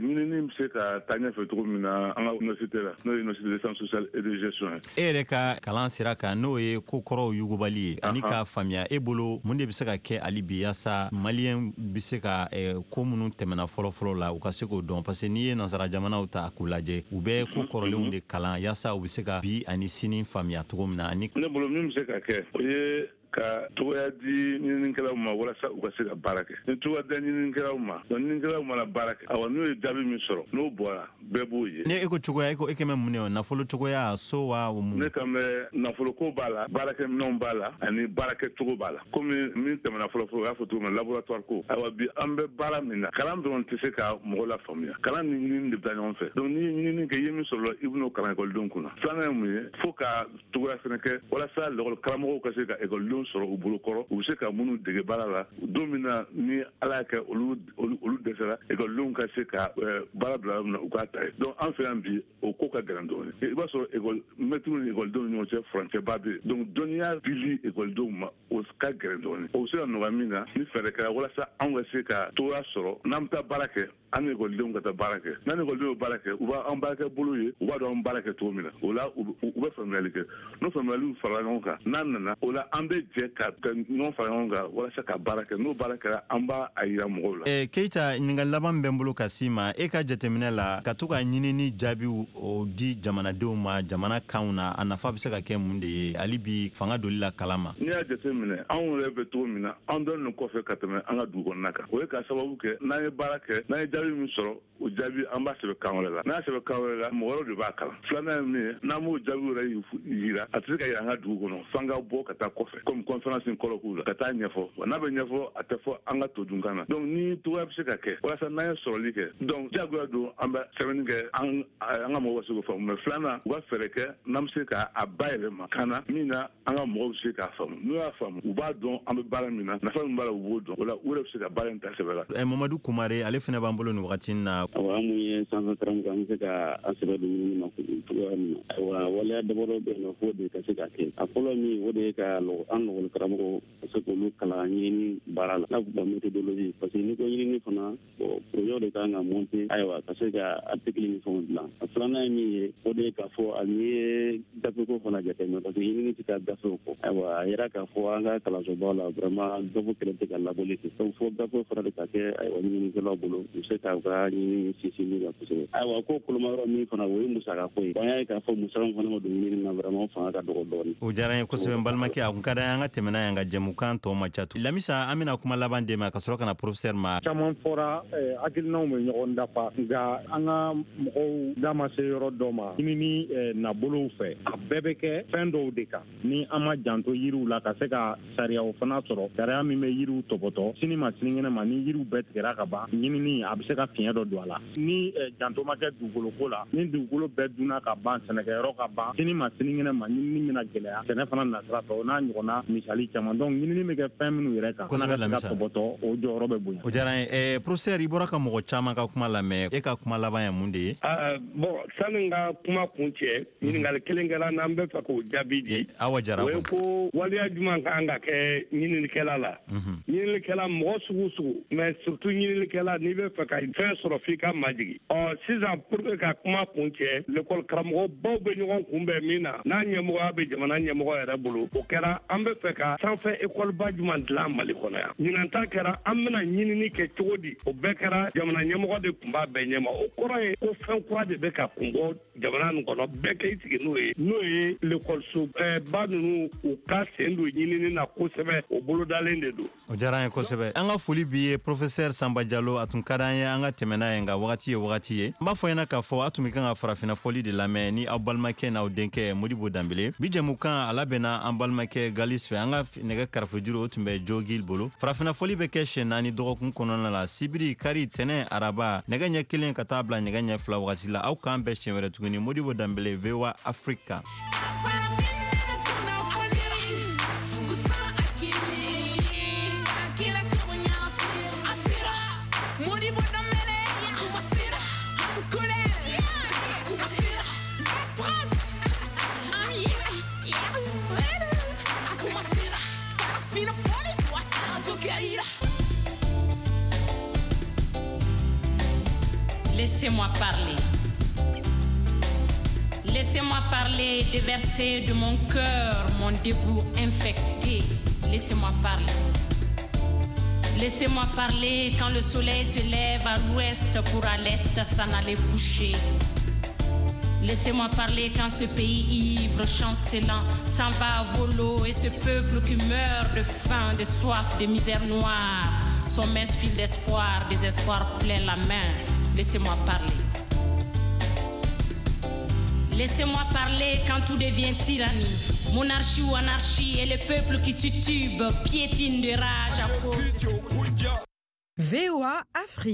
ɲinini bɛ se ka taa ɲɛfɛ cogo min na an ka université la n'o ye université des sciences sociales et de gestion ye. E yɛrɛ ka kalan sira kan n'o ye ko kɔrɔw yugubali ye ani k'a faamuya e bolo mun de bɛ se ka kɛ hali bi yaasa maliyɛn bɛ se ka ko minnu tɛmɛna fɔlɔ-fɔlɔ la u ka se k'o dɔn parce que n'i ye nansara jamanaw ta k'u lajɛ u bɛ ko kɔrɔlenw de kalan yaasa u bɛ se ka bi ani sini faamuya cogo min na. Ani ne bolo min bɛ se ka kɛ o ye ka cogoya di ɲininikɛlaw ma walasa u ka se ka baara kɛ. Ni cogoya da ɲininikɛlaw ma, donc ɲininikɛlaw mana baara kɛ, awa n'u ye jaabi min sɔrɔ n'o bɔra bɛɛ b'o ye. Ni e ko cogoya e ko e kɛmɛ mun de nafolo cogoya so wa o mun? Ne kan bɛ nafoloko b'a la, baarakɛminɛnw b'a la ani baarakɛcogo b'a la. Komi min tɛmɛna fɔlɔ fɔlɔ u y'a fɔ cogo min na laboratoire ko. Ayiwa bi an bɛ baara min na kalan dɔrɔn tɛ se ka mɔgɔ lafaamuya. Kalan ni ɲinini de bɛ taa ɲɔgɔn fɛ. Donc n'i ye ɲinini kɛ i ye min sɔrɔ i bɛn'o kalan ekɔlidenw kunna. Filanan ye mun ye fo ka cogoya fɛnɛ kɛ walasa lakɔli karamɔgɔw ka se ka ekɔlidenw sɔrɔ u bolo kɔrɔ u bɛ se ka minnu dege baara la don min na ni ala y'a kɛ olu dɛsɛra ekɔlidenw ka se ka baara bila yɔrɔ min na u k'a ta ye. Donc an fɛ yan bi o ko ka gɛlɛn dɔɔnin. I b'a sɔrɔ ekɔli mɛtiriw ni ekɔlidenw ni ɲɔgɔn cɛ furancɛba bɛ yen. Donc dɔnniya dili ekɔlidenw ma o ka gɛlɛn dɔɔnin. O bɛ se ka nɔgɔya min na ni fɛɛrɛ kɛra walasa anw ka se ka cogoya sɔrɔ n'an bɛ taa baara kɛ an ni ekɔlidenw ka taa baara kɛ. N'an ni ekɔlidenw ye baara kɛ u b'an baarakɛ bolo ye u b'a dɔn an baara kɛ cogo min na o la u bɛ faamuyali kɛ. N'o faamuyaliw farala ɲɔgɔn kan n'an nana o la an bɛ jɛ ka ɲɔgɔn fara ɲɔgɔn kan walasa ka baara kɛ. N'o baara kɛra an b'a yira mɔgɔw la. Keyita ɲininkali laban min bɛ n bolo ka s'i ma e ka jateminɛ la ka to ka ɲinini jaabiw o di jamanadenw ma jamana kanw na a nafa bɛ se ka kɛ mun de ye hali bi fanga doli la kalan ma? N'i y'a jateminɛ anw yɛrɛ bɛ cogo min na an dɔnnen kɔfɛ ka tɛmɛ an ka dugu kɔnɔna kan. O ye ka sababu kɛ n'an ye baara kɛ n'an ye jaabi min sɔrɔ o jaabi an b'a sɛbɛn kan wɛrɛ la. N'a sɛbɛn kan wɛrɛ la mɔgɔ wɛrɛw de b'a kalan. Filanan ye min ye n'an m'o jaabi yɛrɛ yira a tɛ se ka yira an ka dugu kɔnɔ f'an ka bɔ ka taa kɔfɛ. Komi Comme conférence ni colloque la ka taa ɲɛfɔ, n'a bɛ ɲɛfɔ, a tɛ fɔ an ka todunkan na. Donc ni togoya bɛ se ka kɛ walasa n'an ye sɔrɔli kɛ, donc diyagoya don an bɛ sɛbɛnni kɛ, an ka mɔgɔw ka se k'o faamu. Mais filanan, u ka fɛɛrɛ kɛ n'an bɛ se k'a bayɛlɛma kan na min na an ka mɔgɔw bɛ se k'a faamu. N'u y'a faamu, u b'a dɔn an bɛ baara min na, nafa min b'a la, u b'o dɔn. O la, u yɛrɛ bɛ se ka baara in ta sɛbɛ la. Mamadu Kumare, ale fana b'an bolo nin wagati in na. Awa, an mun ye sanfɛ karamɔgɔ, an bɛ se ka an sɛbɛ don ɲinini ma cogoya min na. Ayiwa, waleya damadɔ bɛ yen nɔ f'o de ka se ka kɛ. A fɔlɔ min, o de ye ka an lɔgɔli karamɔgɔ ka se k'olu kalan ɲinini baara la, n'a fɔ méthodologie, parce que n'i ko ɲinini fana, bon, projet de kan ka monter, ayiwa, ka se ka article ni fɛnw dilan. A filanan ye min ye, o de ye k'a fɔ ani ye gafeko fana jateminɛ, parce que ɲinini tɛ taa gafew kɔ. Ayiwa, a yira k'a fɔ an ka kalansobaw la, vraiment, gafe kɛlen tɛ ka labɔli kɛ. Donc fo gafe fana de ka kɛ, ayiwa, ɲininikɛlaw bolo, u bɛ se k'u ka ɲinini sinsin min kan kosɛbɛ. Ayiwa, ko koloma yɔrɔ min fana, o ye musakako ye. An y'a ye k'a fɔ musaka min fana ma don ɲinini na, vraiment, o fanga ka dɔgɔ dɔɔnin. O diyara n ye kosɛbɛ, n balimakɛ. A kun ka d'an ye an ka tɛmɛ n'a ye, nka jɛmukan tɔ ma ca. Lamisa, an bɛna kuma laban d'e ma ka sɔrɔ ka na professeur ma. Caman fɔra, hakilinaw bɛ ɲɔgɔn dafa, nka an ka mɔgɔw da ma se yɔrɔ dɔ ma ɲinini nabolow fɛ. A bɛɛ bɛ kɛ fɛn dɔw de kan ni an ma janto yiriw la, ka se ka sariyaw fana sɔrɔ, sariya min bɛ yiriw tɔpɔtɔ sini ma sinikɛnɛ ma. Ni yiriw bɛɛ tigɛra ka ban, ɲinini a bɛ se ka fiɲɛ dɔ don a la. Ni janto ma kɛ dugukoloko la, ni dugukolo bɛɛ dunna ka ban, sɛnɛkɛyɔrɔ ka ban, sini ma sinikɛnɛ ma, ɲinini bɛna gɛlɛya sɛnɛ fana nasira fɛ, o n'a ɲɔgɔnna misali caman. Donc ɲinini bɛ kɛ fɛn minnu yɛrɛ kan, kosɛbɛ, Lamisa, tɔpɔtɔ, o jɔyɔrɔ bɛ bonya. O diyara n ye. Professeur, i bɔra ka mɔgɔ caman ka kuma lamɛn, e ka kuma laban ye mun de ye? Bon, sani n ka kuma kun cɛ, ɲininkali kelen kɛra n'an bɛ fɛ k'o jaabi di. Awa Jara. O ye ko waleya jumɛn kan ka kɛ ɲininikɛla la? Ɲininikɛla, mɔgɔ sugu sugu, mais surtout ɲininikɛla, n'i bɛ fɛ ka fɛn sɔrɔ, f'i ka majigin. Ɔ sisan, pour que ka kuma kun cɛ, l'école karamɔgɔbaw bɛ ɲɔgɔn kunbɛn min na, n'a ɲɛmɔgɔya bɛ jamana ɲɛmɔgɔ yɛrɛ bolo, o kɛra an bɛ fɛ ka sanfɛ école ba jumɛn dilan Mali kɔnɔ yan. Ɲinan ta kɛra an bɛna ɲinini kɛ cogo di. O bɛɛ kɛra jamana ɲɛmɔgɔ de tun b'a bɛɛ ɲɛma. O kɔrɔ ye ko fɛn kura de bɛ ka kun bɔ jamana nin kɔnɔ, bɛɛ k'i sigi n'o ye, n'o ye lekɔliso ba ninnu, u ka sen don ɲinini na kosɛbɛ. O bolodalen de don. O diyara an ye kosɛbɛ. An ka foli b'i ye, professeur Sanba Jalo. A tun ka d'an ye an ka tɛmɛ n'a ye, nka wagati ye wagati ye. N b'a fɔ ɲɛna k'a fɔ a tun bɛ kan ka farafinna fɔli de lamɛn ni aw balimakɛ n'aw denkɛ Modibo Danbele. Bi jɛmukan, a labɛnna an balimakɛ Galis fɛ. An ka nɛgɛ karafejuru, o tun bɛ Jogil bolo. Farafinna fɔli bɛ kɛ siɲɛ 4 dɔgɔkun kɔnɔna la: sibiri, kari, tɛnɛ, araba, nɛgɛ ɲɛ 1 ka taa bila nɛgɛ ɲɛ 2 wagati la. Aw k'an bɛn siɲɛ wɛrɛ tuguni. Modibo Danbele, VOA Africa. Laissez-moi parler. Laissez-moi parler, déverser de mon cœur mon dégoût infecté. Laissez-moi parler. Laissez-moi parler quand le soleil se lève à l'ouest pour à l'est s'en aller coucher. Laissez-moi parler quand ce pays ivre, chancelant, s'en va à vau-l'eau et ce peuple qui meurt de faim, de soif, de misère noire, son mince fil d'espoir, désespoir plein la main. Laissez-moi parler. Laissez-moi parler quand tout devient tyrannie, monarchie ou anarchie, et le peuple qui titube, piétine de rage à cause de VOA Afrique.